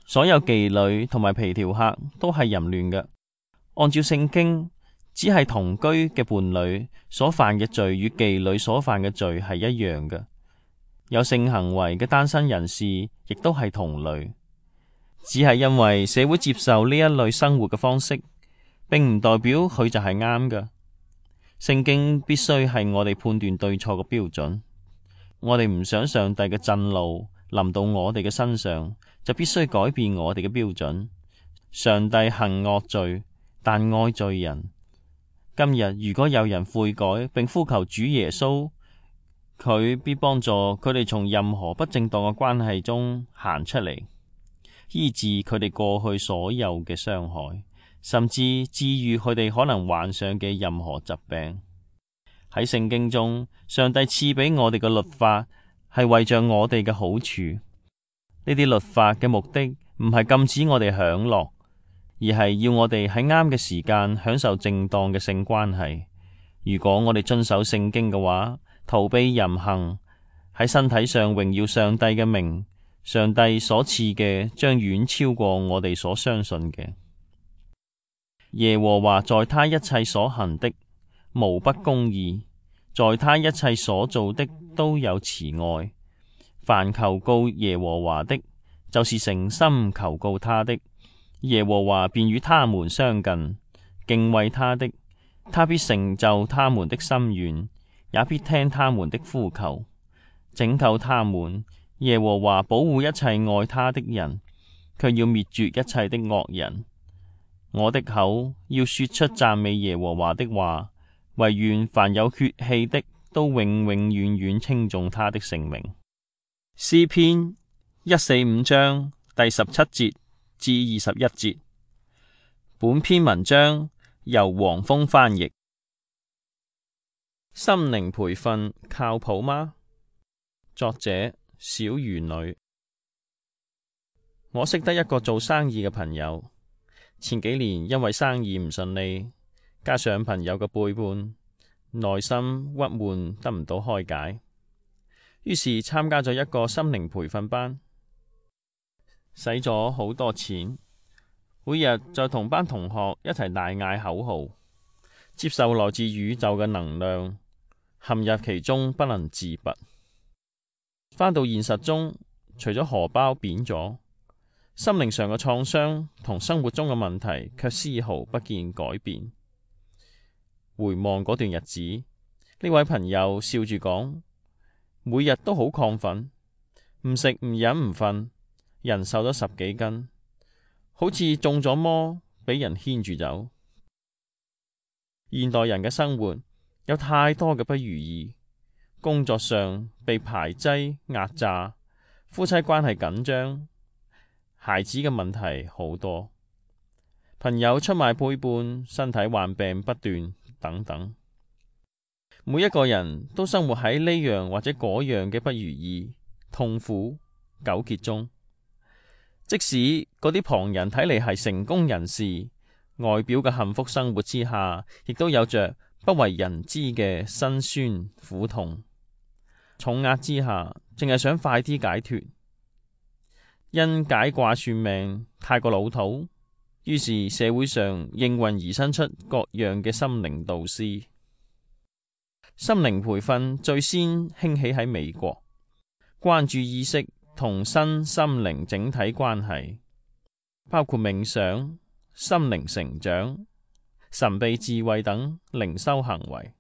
所有妓女同埋皮條客都係淫亂嘅。按照聖經，只係同居嘅伴侶所犯嘅罪與妓女所犯嘅罪係一樣嘅。有性行為嘅單身人士亦都係同類，只係因為社會接受呢一類生活嘅方式，並唔代表佢就係啱嘅。聖經必須係我哋判斷對錯嘅標準。我哋唔想上帝嘅震怒臨到我哋嘅身上，就必須改變我哋嘅標準。上帝行惡罪，但愛罪人。今日如果有人悔改並呼求主耶穌，佢必幫助佢哋從任何不正當嘅關係中行出嚟，醫治佢哋過去所有嘅傷害，甚至治愈佢哋可能患上嘅任何疾病。喺聖經中，上帝賜俾我哋嘅律法係為着我哋嘅好處。呢啲律法嘅目的唔係禁止我哋享樂，而係要我哋喺啱嘅時間享受正當嘅性關係。如果我哋遵守聖經嘅話，逃避淫行，喺身體上榮耀上帝嘅名，上帝所賜嘅將遠超過我哋所相信嘅。耶和華在他一切所行的無不公義，在他一切所做的都有慈愛。凡求告耶和華的，就是誠心求告他的，耶和華便與他們相近；敬畏他的，他必成就他們的心願，也必聽他們的呼求，拯救他們。耶和華保護一切愛他的人，卻要滅絕一切的惡人。我的口要說出讚美耶和華的話，惟願凡有血氣的都永永遠遠稱頌他的聖名。詩篇一四五章第十七節至二十一節。本篇文章由黃蜂翻譯。心靈培訓靠譜嗎？作者小魚女。我識得一個做生意嘅朋友，前幾年因為生意唔順利，加上朋友嘅背叛，內心鬱悶得唔到開解，於是參加咗一個心靈培訓班，使咗好多錢，每日就同班同學一齊大嗌口號，接受來自宇宙嘅能量，陷入其中不能自拔。返到現實中，除咗荷包扁咗，心靈上嘅創傷同生活中嘅問題卻絲毫不見改變。回望嗰段日子，呢位朋友笑住講，每日都好亢奮，唔食唔飲唔瞓，人瘦咗十幾斤，好似中咗魔，俾人牽住走。現代人嘅生活有太多嘅不如意，工作上被排擠壓榨，夫妻關係緊張，孩子嘅問題好多，朋友出賣背叛，身體患病不斷等等。每一個人都生活喺呢樣或者嗰樣嘅不如意、痛苦、糾結中。即使嗰啲旁人睇嚟係成功人士，外表嘅幸福生活之下，亦都有着不為人知嘅辛酸苦痛。重壓之下，淨係想快啲解脫。因解卦算命太過老土，於是社會上應運而生出各樣嘅心靈導師。心靈培訓最先興起喺美國，關注意識同身心靈整體關係，包括冥想、心靈成長、神秘智慧等靈修行為。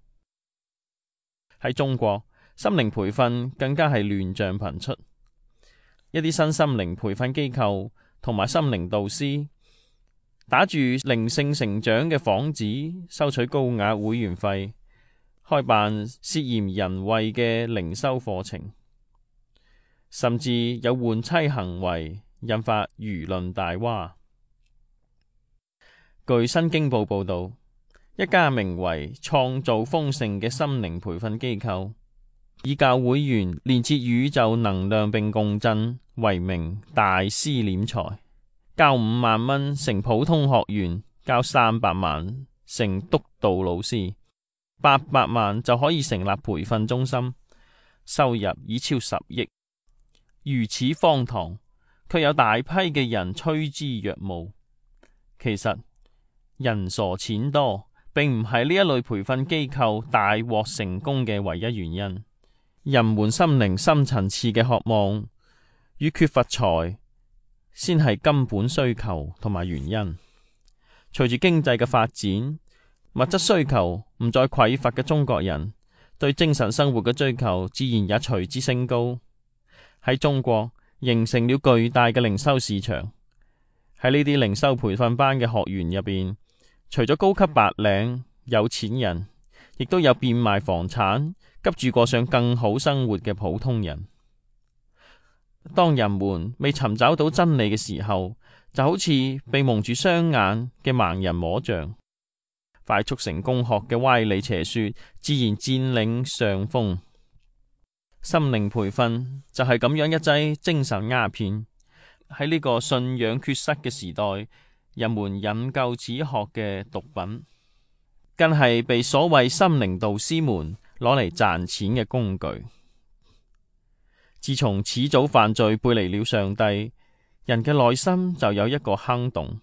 喺中國，心靈培訓更加係亂象頻出，一啲新心靈培訓機構同埋心靈導師打住靈性成長嘅幌子，收取高額會員費，開辦涉嫌人為嘅靈修課程，甚至有換妻行為，引發輿論大嘩。據新京報報道，一家名為創造豐盛嘅心靈培訓機構，以教會員連接宇宙能量並共振為名，大施斂財，交五萬蚊成普通學員，交三百萬成督導老師，八百萬就可以成立培訓中心，收入已超十億。如此荒唐，卻有大批嘅人趨之若鶩。其實人傻錢多，並唔係呢一類培訓機構大獲成功嘅唯一原因。人們心靈深層次嘅渴望與缺乏財，先係根本需求同埋原因。隨住經濟嘅發展，物質需求唔再匱乏嘅中國人，對精神生活嘅追求自然也隨之升高。喺中國形成了巨大嘅靈修市場。喺呢啲靈修培訓班嘅學員入邊，除咗高級白領、有錢人，亦都有變賣房產、急住過上更好生活嘅普通人。當人們未尋找到真理嘅時候，就好似被蒙住雙眼嘅盲人摸象。快速成功學嘅歪理邪說自然佔領上風。心靈培訓就係咁樣一劑精神鴉片。喺呢個信仰缺失嘅時代，人們引咎此學嘅毒品，更係被所謂心靈導師們攞嚟賺錢嘅工具。自從始祖犯罪背離了上帝，人嘅內心就有一個坑洞，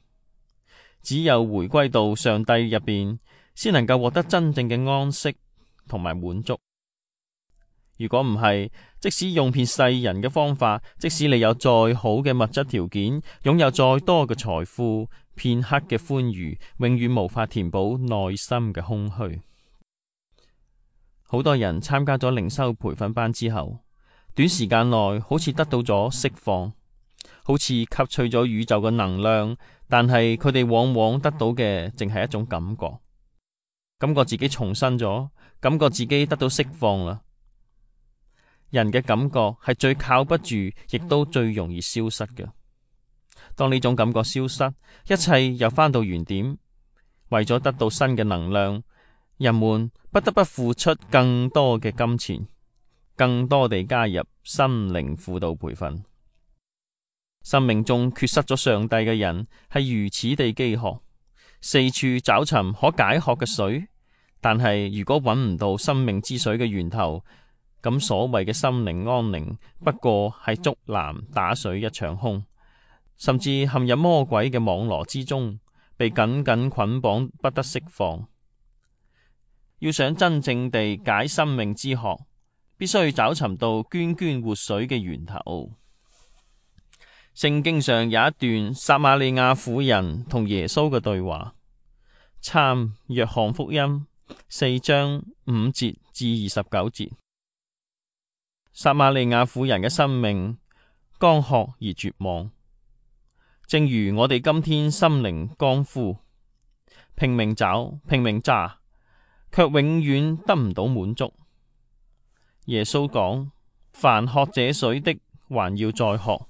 只有回歸到上帝入邊，先能夠獲得真正嘅安息同埋滿足。如果唔係，即使用遍世人嘅方法，即使你有再好嘅物質條件，擁有再多嘅財富，片刻嘅歡愉，永遠無法填補內心嘅空虛。好多人參加咗靈修培訓班之後，短時間內好似得到咗釋放，好似吸取咗宇宙嘅能量，但係佢哋往往得到嘅淨係一種感覺，感覺自己重生咗，感覺自己得到釋放啦。人嘅感覺係最靠不住，亦都最容易消失嘅。當呢種感覺消失，一切又返到原點。為咗得到新嘅能量，人們不得不付出更多嘅金錢，更多地加入心靈輔導培訓。生命中缺失咗上帝嘅人係如此地飢渴，四處找尋可解渴嘅水，但係如果揾唔到生命之水嘅源頭，咁所謂嘅心靈安寧不過係竹籃打水一場空，甚至陷入魔鬼嘅網羅之中，被緊緊捆綁不得釋放。要想真正地解生命之渴，必須要找尋到涓涓活水嘅源頭。聖經上有一段撒瑪利亞婦人同耶穌嘅對話，參約翰福音四章五節至二十九節。撒瑪利亞婦人嘅生命乾渴而絕望，正如我哋今天心靈乾枯，拼命找拼命揸，卻永遠得唔到滿足。耶穌講：凡喝這水的，還要再喝；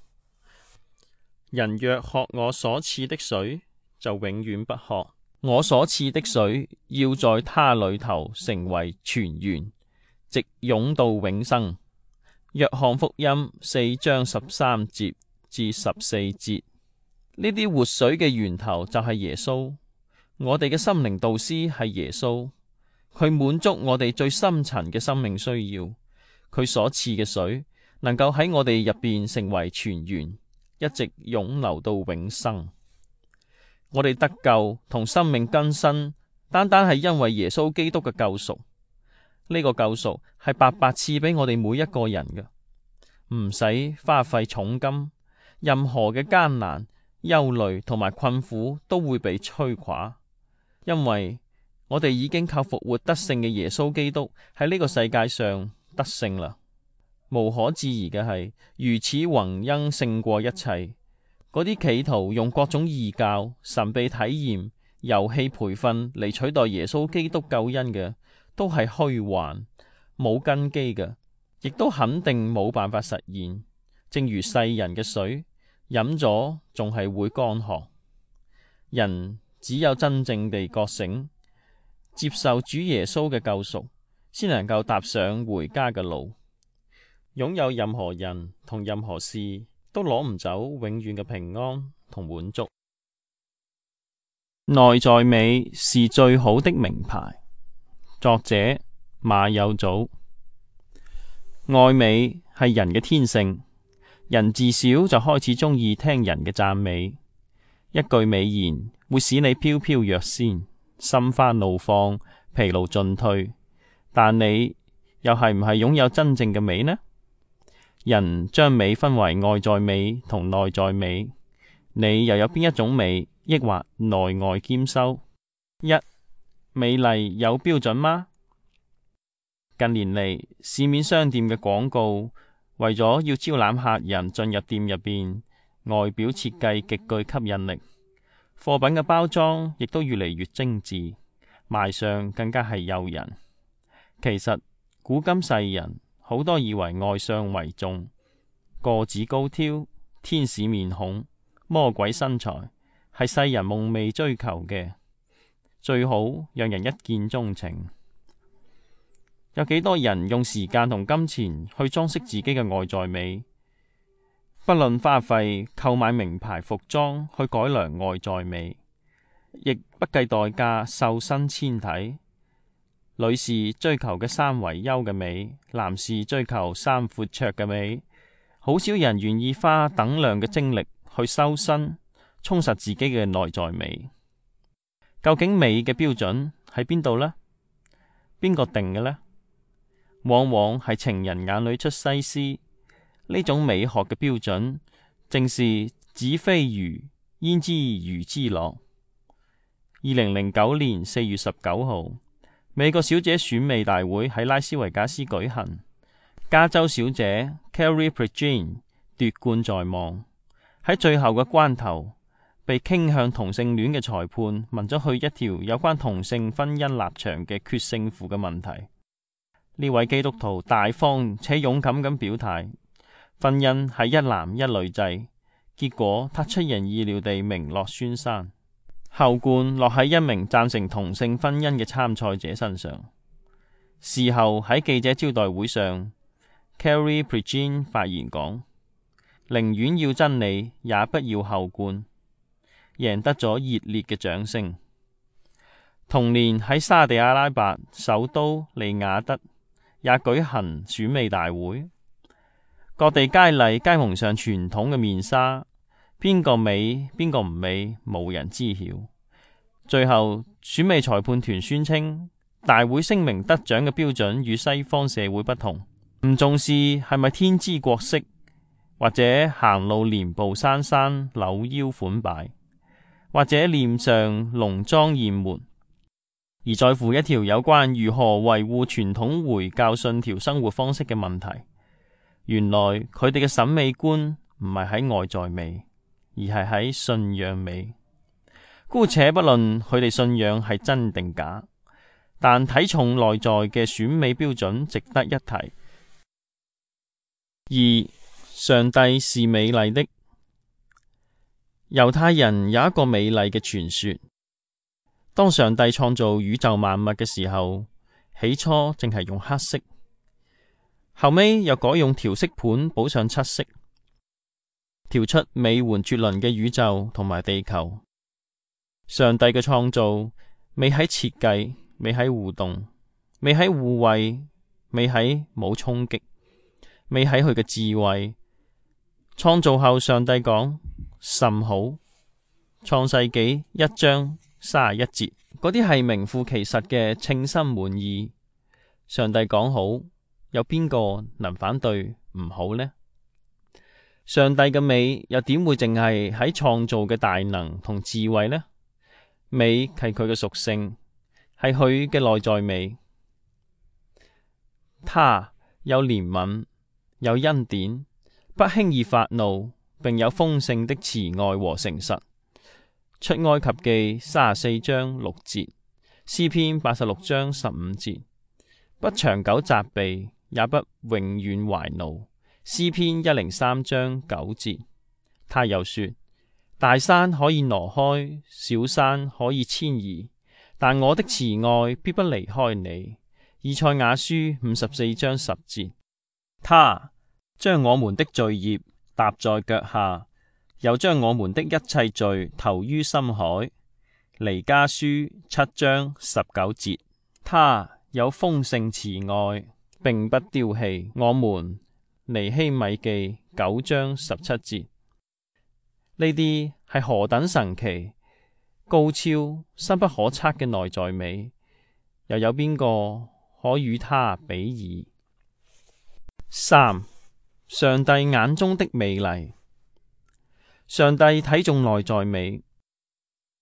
人若喝我所賜的水，就永遠不渴。我所賜的水要在他裏頭成為泉源，直湧到永生。約翰福音四章十三節至十四節，呢啲活水嘅源頭就係耶穌。我哋嘅心靈導師係耶穌，佢滿足我哋最深層嘅生命需要。佢所賜嘅水能夠喺我哋入邊成為泉源，一直湧流到永生。我哋得救同生命更新，單單係因為耶穌基督嘅救贖。呢個救贖係白白賜俾我哋每一個人嘅，唔使花費重金，任何嘅艱難、憂慮同埋困苦都會被摧垮，因為我哋已經靠復活得勝嘅耶穌基督喺呢個世界上得勝啦。無可置疑嘅係，如此宏恩勝過一切。嗰啲企圖用各種異教、神秘體驗、遊戲培訓嚟取代耶穌基督救恩嘅，都係虛幻、冇根基嘅，亦都肯定冇辦法實現。正如世人嘅水，飲咗仲係會乾渴。人只有真正地覺醒，接受主耶穌嘅救贖，先能夠踏上回家嘅路。擁有任何人同任何事，都攞唔走永遠嘅平安同滿足。內在美是最好的名牌。作者馬有祖。愛美係人嘅天性，人自小就開始中意聽人嘅讚美。一句美言會使你飄飄若仙，心花怒放，疲勞盡退。但你又係唔係擁有真正嘅美呢？人將美分為外在美同內在美，你又有邊一種美，抑或內外兼修？一、美麗有標準嗎？近年嚟，市面商店嘅廣告為咗要招攬客人進入店入邊，外表設計極具吸引力，貨品嘅包裝亦都越嚟越精緻，賣相更加係誘人。其實古今世人好多以為外相為重，個子高挑、天使面孔、魔鬼身材係世人夢寐追求嘅，最好讓人一見鍾情。有幾多人用時間同金錢去裝飾自己嘅外在美，不論花費購買名牌服裝去改良外在美，亦不計代價瘦身纖體。女士追求嘅三圍優嘅美，男士追求三闊綽嘅美，好少人願意花等量嘅精力去修身，充實自己嘅內在美。究竟美嘅標準喺邊度呢？邊個定嘅呢？往往係情人眼裏出西施。呢種美學嘅標準，正是子非魚，焉知魚之樂。二零零九年四月十九號，美國小姐選美大會喺拉斯維加斯舉行，加州小姐 Carrie Prejean 奪冠在望。喺最後嘅關頭，被傾向同性戀嘅裁判問咗佢一條有關同性婚姻立場嘅決勝負嘅問題。呢位基督徒大方且勇敢咁表態，婚姻係一男一女制。結果他出人意料地名落孫山，後冠落喺一名贊成同性婚姻嘅參賽者身上。事後喺記者招待會上， Carrie Prejean 發言講，寧願要真理，也不要後冠，贏得咗熱烈嘅掌聲。同年喺沙地阿拉伯首都利雅得也舉行選美大會，各地佳麗皆蒙上傳統嘅面紗，邊個美邊個唔美，無人知曉。最後選美裁判團宣稱，大會聲明得獎嘅標準與西方社會不同，唔重視係咪天姿國色，或者行路連步姍姍扭腰款擺，或者臉上濃妝豔抹，而在乎一條有關如何維護傳統回教信條生活方式嘅問題。原來佢哋嘅審美觀唔係喺外在美，而係喺信仰美。姑且不論佢哋信仰係真定假，但睇重內在嘅選美標準值得一提。二、上帝是美麗的。猶太人有一個美麗嘅傳說，當上帝創造宇宙萬物嘅時候，起初淨係用黑色，後尾又改用調色盤補上七色，調出美媛絕倫嘅宇宙同埋地球。上帝嘅創造美喺設計，美喺互動，美喺互惠，美喺冇衝擊，美喺佢嘅智慧。創造後，上帝講甚好。創世紀一章三十一節，嗰啲係名副其實嘅稱心滿意。上帝講好，有邊個能反對唔好呢？上帝嘅美又點會淨係喺創造嘅大能同智慧呢？美係佢嘅屬性，係佢嘅內在美。他有憐憫，有恩典，不輕易發怒，並有豐盛的慈愛和誠實。出埃及記三十四章六節，詩篇八十六章十五節。不長久責備，也不永遠懷怒。詩篇一零三章九節。他又說，大山可以挪開，小山可以遷移，但我的慈愛必不離開你。以賽亞書五十四章十節。他將我們的罪孽踏在腳下，又將我們的一切罪投於深海。彌迦書七章十九節。他有豐盛慈愛，並不丟棄我們。尼希米記九章十七節。呢啲係何等神奇、高超、深不可測嘅內在美，又有邊個可與他比擬？三、上帝眼中的美麗。上帝睇重內在美。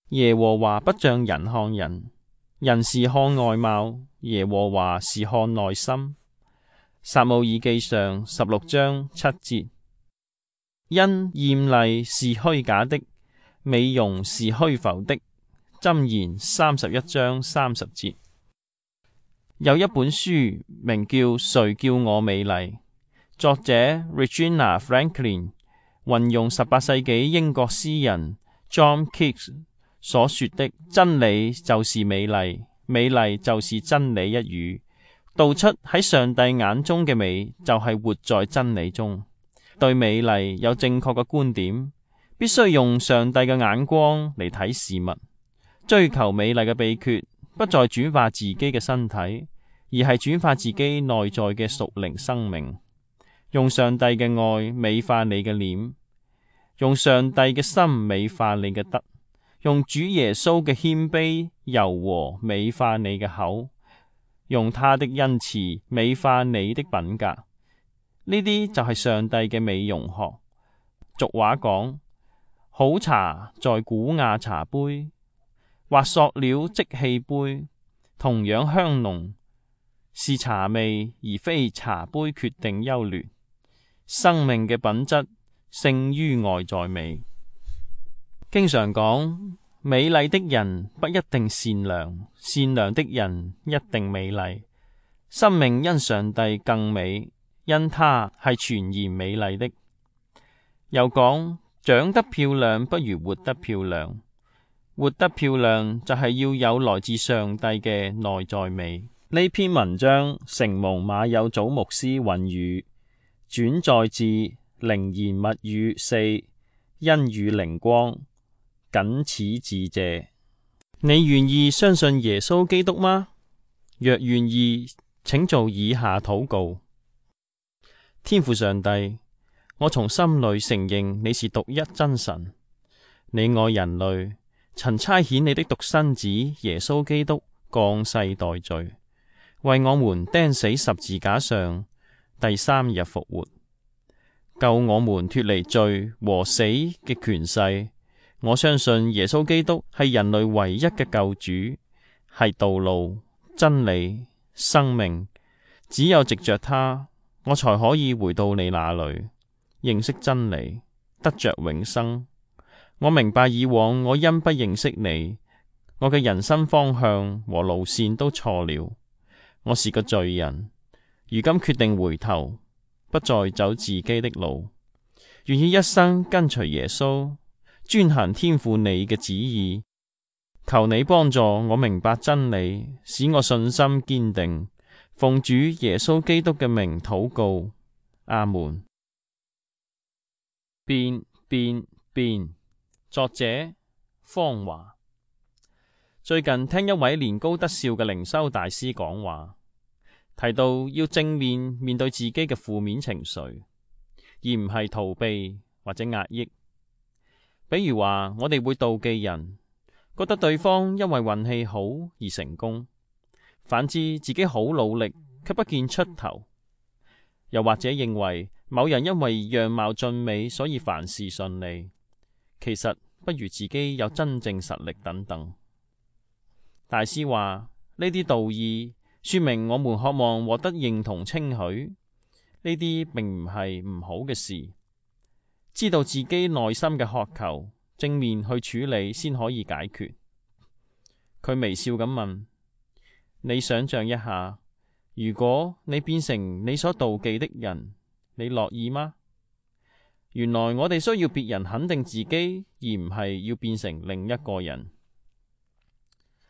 耶和華不像人看人，人是看外貌，耶和華是看內心。撒母耳記上十六章七節。因艷麗是虛假的，美容是虛浮的。箴言三十一章三十節。有一本書名叫《誰叫我美麗》，作者 Regina Franklin 運用十八世紀英國詩人 John Keats 所說的真理就是美麗，美麗就是真理一語，道出喺上帝眼中嘅美就係活在真理中。對美麗有正確嘅觀點，必須用上帝嘅眼光嚟睇事物。追求美麗嘅秘訣，不再轉化自己嘅身體，而係轉化自己內在嘅屬靈生命。用上帝嘅愛美化你嘅臉，用上帝嘅心美化你嘅德，用主耶穌嘅謙卑柔和美化你嘅口，用他的恩慈美化你的品格。呢啲就係上帝嘅美容學。俗話講，好茶在古瓦茶杯，或塑料即棄杯，同樣香濃，是茶味而非茶杯決定優劣。生命嘅品質勝於外在美。經常講，美麗的人不一定善良，善良的人一定美麗。生命因上帝更美，因他係全然美麗的。又講，長得漂亮不如活得漂亮，活得漂亮就係要有來自上帝嘅內在美。呢篇文章承蒙馬有祖牧師允語，轉載自靈言密語四，恩與靈光，僅此致謝。你願意相信耶穌基督嗎？若願意，請做以下禱告。天父上帝，我從心裏承認你是獨一真神，你愛人類，曾差遣你的獨生子耶穌基督降世代罪，為我們釘死十字架上，第三日復活，救我們脫離罪和死嘅權勢。我相信耶穌基督係人類唯一嘅救主，係道路、真理、生命。只有藉着他，我才可以回到你那裏，認識真理，得着永生。我明白以往我因不認識你，我嘅人生方向和路線都錯了。我是個罪人，如今決定回頭，不再走自己的路，願意一生跟隨耶穌，專行天父你嘅旨意。求你幫助我明白真理，使我信心堅定。奉主耶穌基督嘅名禱告，阿門。變變變。作者方華。最近聽一位年高德劭嘅靈修大師講話，提到要正面面對自己嘅負面情緒，而唔係逃避或者壓抑。比如話，我哋會妒忌人，覺得對方因為運氣好而成功，反之自己好努力卻不見出頭。又或者認為某人因為樣貌俊美，所以凡事順利，其實不如自己有真正實力等等。大師話，呢啲道義說明我們渴望獲得認同稱許，呢啲並唔係唔好嘅事。知道自己內心嘅渴求，正面去處理先可以解決。佢微笑咁問，你想象一下，如果你變成你所妒忌的人，你樂意嗎？原來我哋需要別人肯定自己，而唔係要變成另一個人。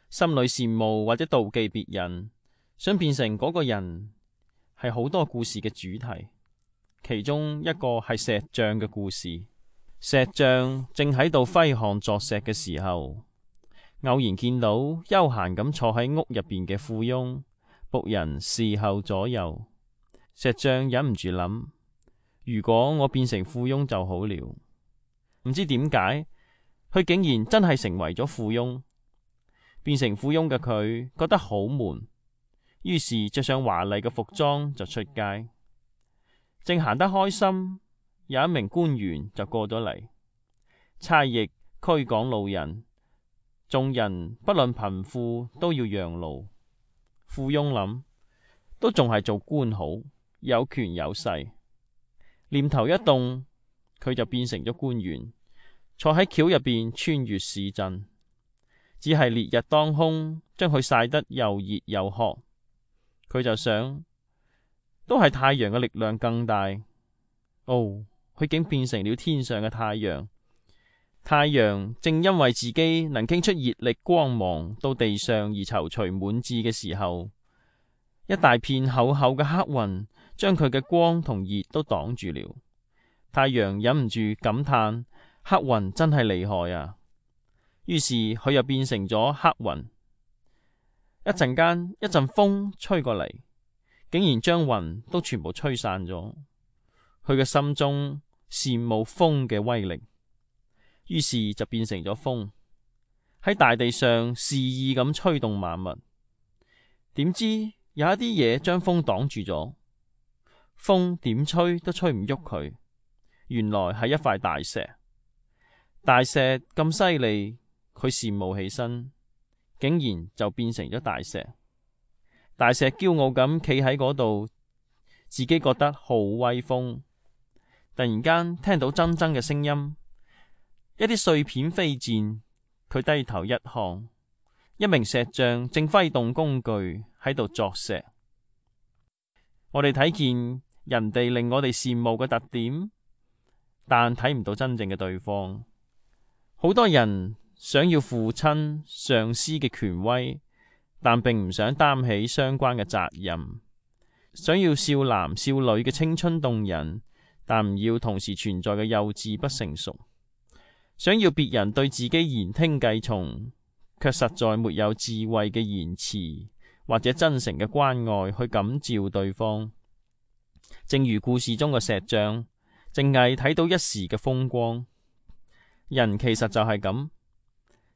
心裏羨慕或者妒忌別人，想變成嗰個人，係好多故事嘅主題。其中一個係石匠嘅故事。石匠正喺度揮汗作石嘅時候，偶然見到悠閒咁坐喺屋入邊嘅富翁，僕人侍候左右。石匠忍唔住諗，如果我變成富翁就好了。唔知點解，佢竟然真係成為咗富翁。變成富翁嘅佢覺得好悶，於是着上華麗嘅服裝就出街。正行得開心，有一名官員就過咗嚟，差役驅趕路人，眾人不論貧富都要讓路。富翁諗，都仲係做官好，有權有勢。念頭一動，佢就變成咗官員，坐喺轎入邊穿越市鎮。只係烈日當空，將佢曬得又熱又渴。佢就想，都係太陽嘅力量更大。哦，佢竟變成了天上嘅太陽。太陽正因為自己能傾出熱力光芒到地上而躊躇滿志嘅時候，一大片厚厚嘅黑雲將佢嘅光同熱都擋住了。太陽忍唔住感嘆，黑雲真係厲害啊！於是佢又變成咗黑雲。一陣間，一陣風吹過嚟，竟然將雲都全部吹散咗。佢嘅心中羨慕風嘅威力，於是就變成咗風，喺大地上肆意咁吹動萬物。點知有一啲嘢將風擋住咗，風點吹都吹唔喐佢。原來係一塊大石，大石咁犀利，佢羨慕起身，竟然就變成咗大石。大石驕傲咁企喺嗰度，自己覺得好威風。突然間聽到錚錚嘅聲音，一啲碎片飛濺，佢低頭一看，一名石匠正揮動工具喺度鑿石。我哋睇見人哋令我哋羨慕嘅特點，但睇唔到真正嘅對方。好多人想要父親、上司嘅權威，但並唔想擔起相關嘅責任。想要少男少女嘅青春動人，但唔要同時存在嘅幼稚不成熟。想要別人對自己言聽計從，卻實在沒有智慧嘅言辭或者真誠嘅關愛去感召對方。正如故事中嘅石匠，淨係睇到一時嘅風光。人其實就係咁，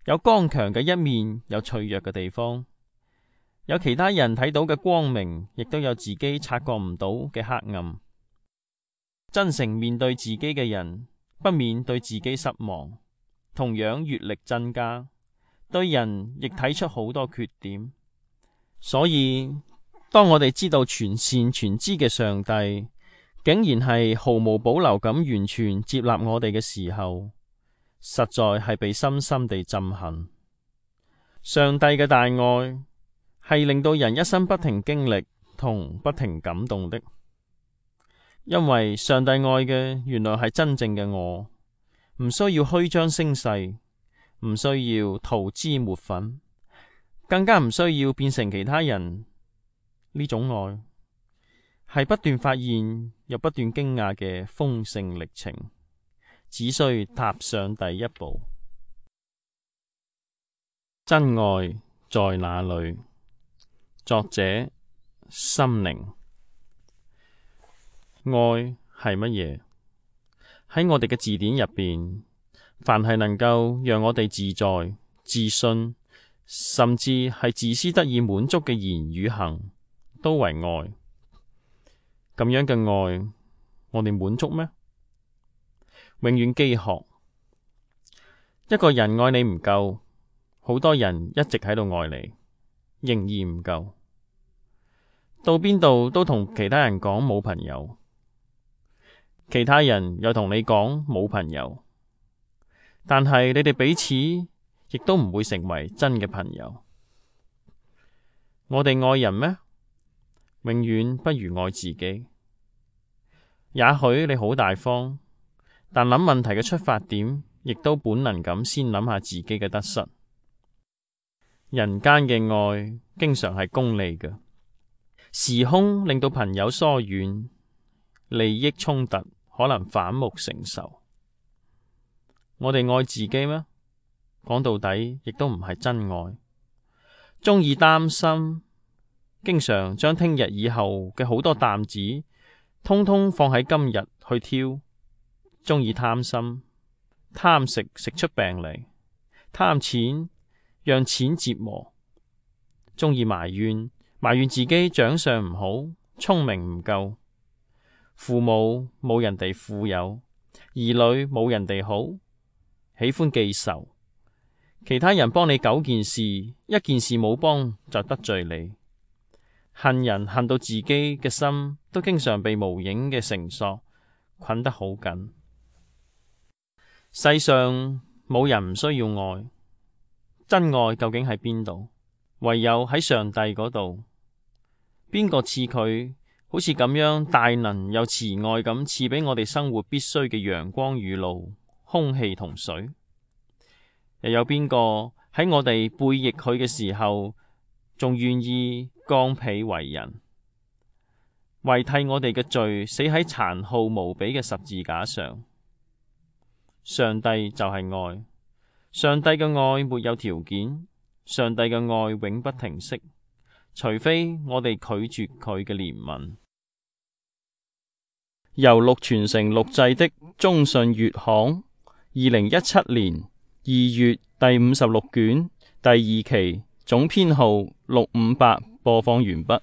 有剛強嘅一面，有脆弱嘅地方。有其他人睇到嘅光明，亦都有自己察覺唔到嘅黑暗。真誠面對自己嘅人，不免對自己失望。同樣閱歷增加，對人亦睇出好多缺點。所以當我哋知道全善全知嘅上帝竟然係毫無保留咁完全接納我哋嘅時候，實在係被深深地震撼。上帝嘅大愛係令到人一生不停經歷同不停感動的，因為上帝愛嘅原來係真正嘅我，唔需要虛張聲勢，唔需要塗脂抹粉，更加唔需要變成其他人。呢種愛係不斷發現又不斷驚訝嘅豐盛歷程，只需踏上第一步。真愛在哪裏？作者心靈。愛係乜嘢？喺我哋嘅字典入邊，凡係能夠讓我哋自在、自信，甚至係自私得以滿足嘅言語行，都為愛。咁樣嘅愛，我哋滿足咩？永遠飢渴。一個人愛你唔夠，好多人一直喺度愛你，仍然唔夠。到邊度都同其他人講冇朋友，其他人又同你講冇朋友，但係你哋彼此亦都唔會成為真嘅朋友。我哋愛人咩？永遠不如愛自己。也許你好大方，但諗問題嘅出發點，亦都本能咁先諗下自己嘅得失。人間嘅愛經常係功利嘅，時空令到朋友疏遠，利益衝突可能反目成仇。我哋愛自己咩？講到底，亦都唔係真愛。鍾意擔心，經常將聽日以後嘅好多擔子，通通放喺今日去挑。鍾意貪心，貪食食出病嚟，貪錢讓錢折磨。鍾意埋怨，埋怨自己長相唔好，聰明唔夠。父母冇人哋富有，兒女冇人哋好，喜歡記仇。其他人幫你九件事，一件事冇幫就得罪你。恨人恨到自己嘅心都經常被無形嘅繩索捆得好緊。世上冇人唔需要愛，真愛究竟喺邊度？唯有喺上帝嗰度。邊個賜佢好似咁樣大能又慈愛咁賜俾我哋生活必須嘅陽光雨露、空氣同水？又有邊個喺我哋背逆佢嘅時候，仲願意降被為人，為替我哋嘅罪死喺殘酷無比嘅十字架上？上帝就係愛，上帝嘅愛沒有條件，上帝嘅愛永不停息，除非我哋拒絕佢嘅憐憫。由錄傳承錄製的中信月刊，二零一七年二月第五十六卷第二期，總編號六五八，播放完畢。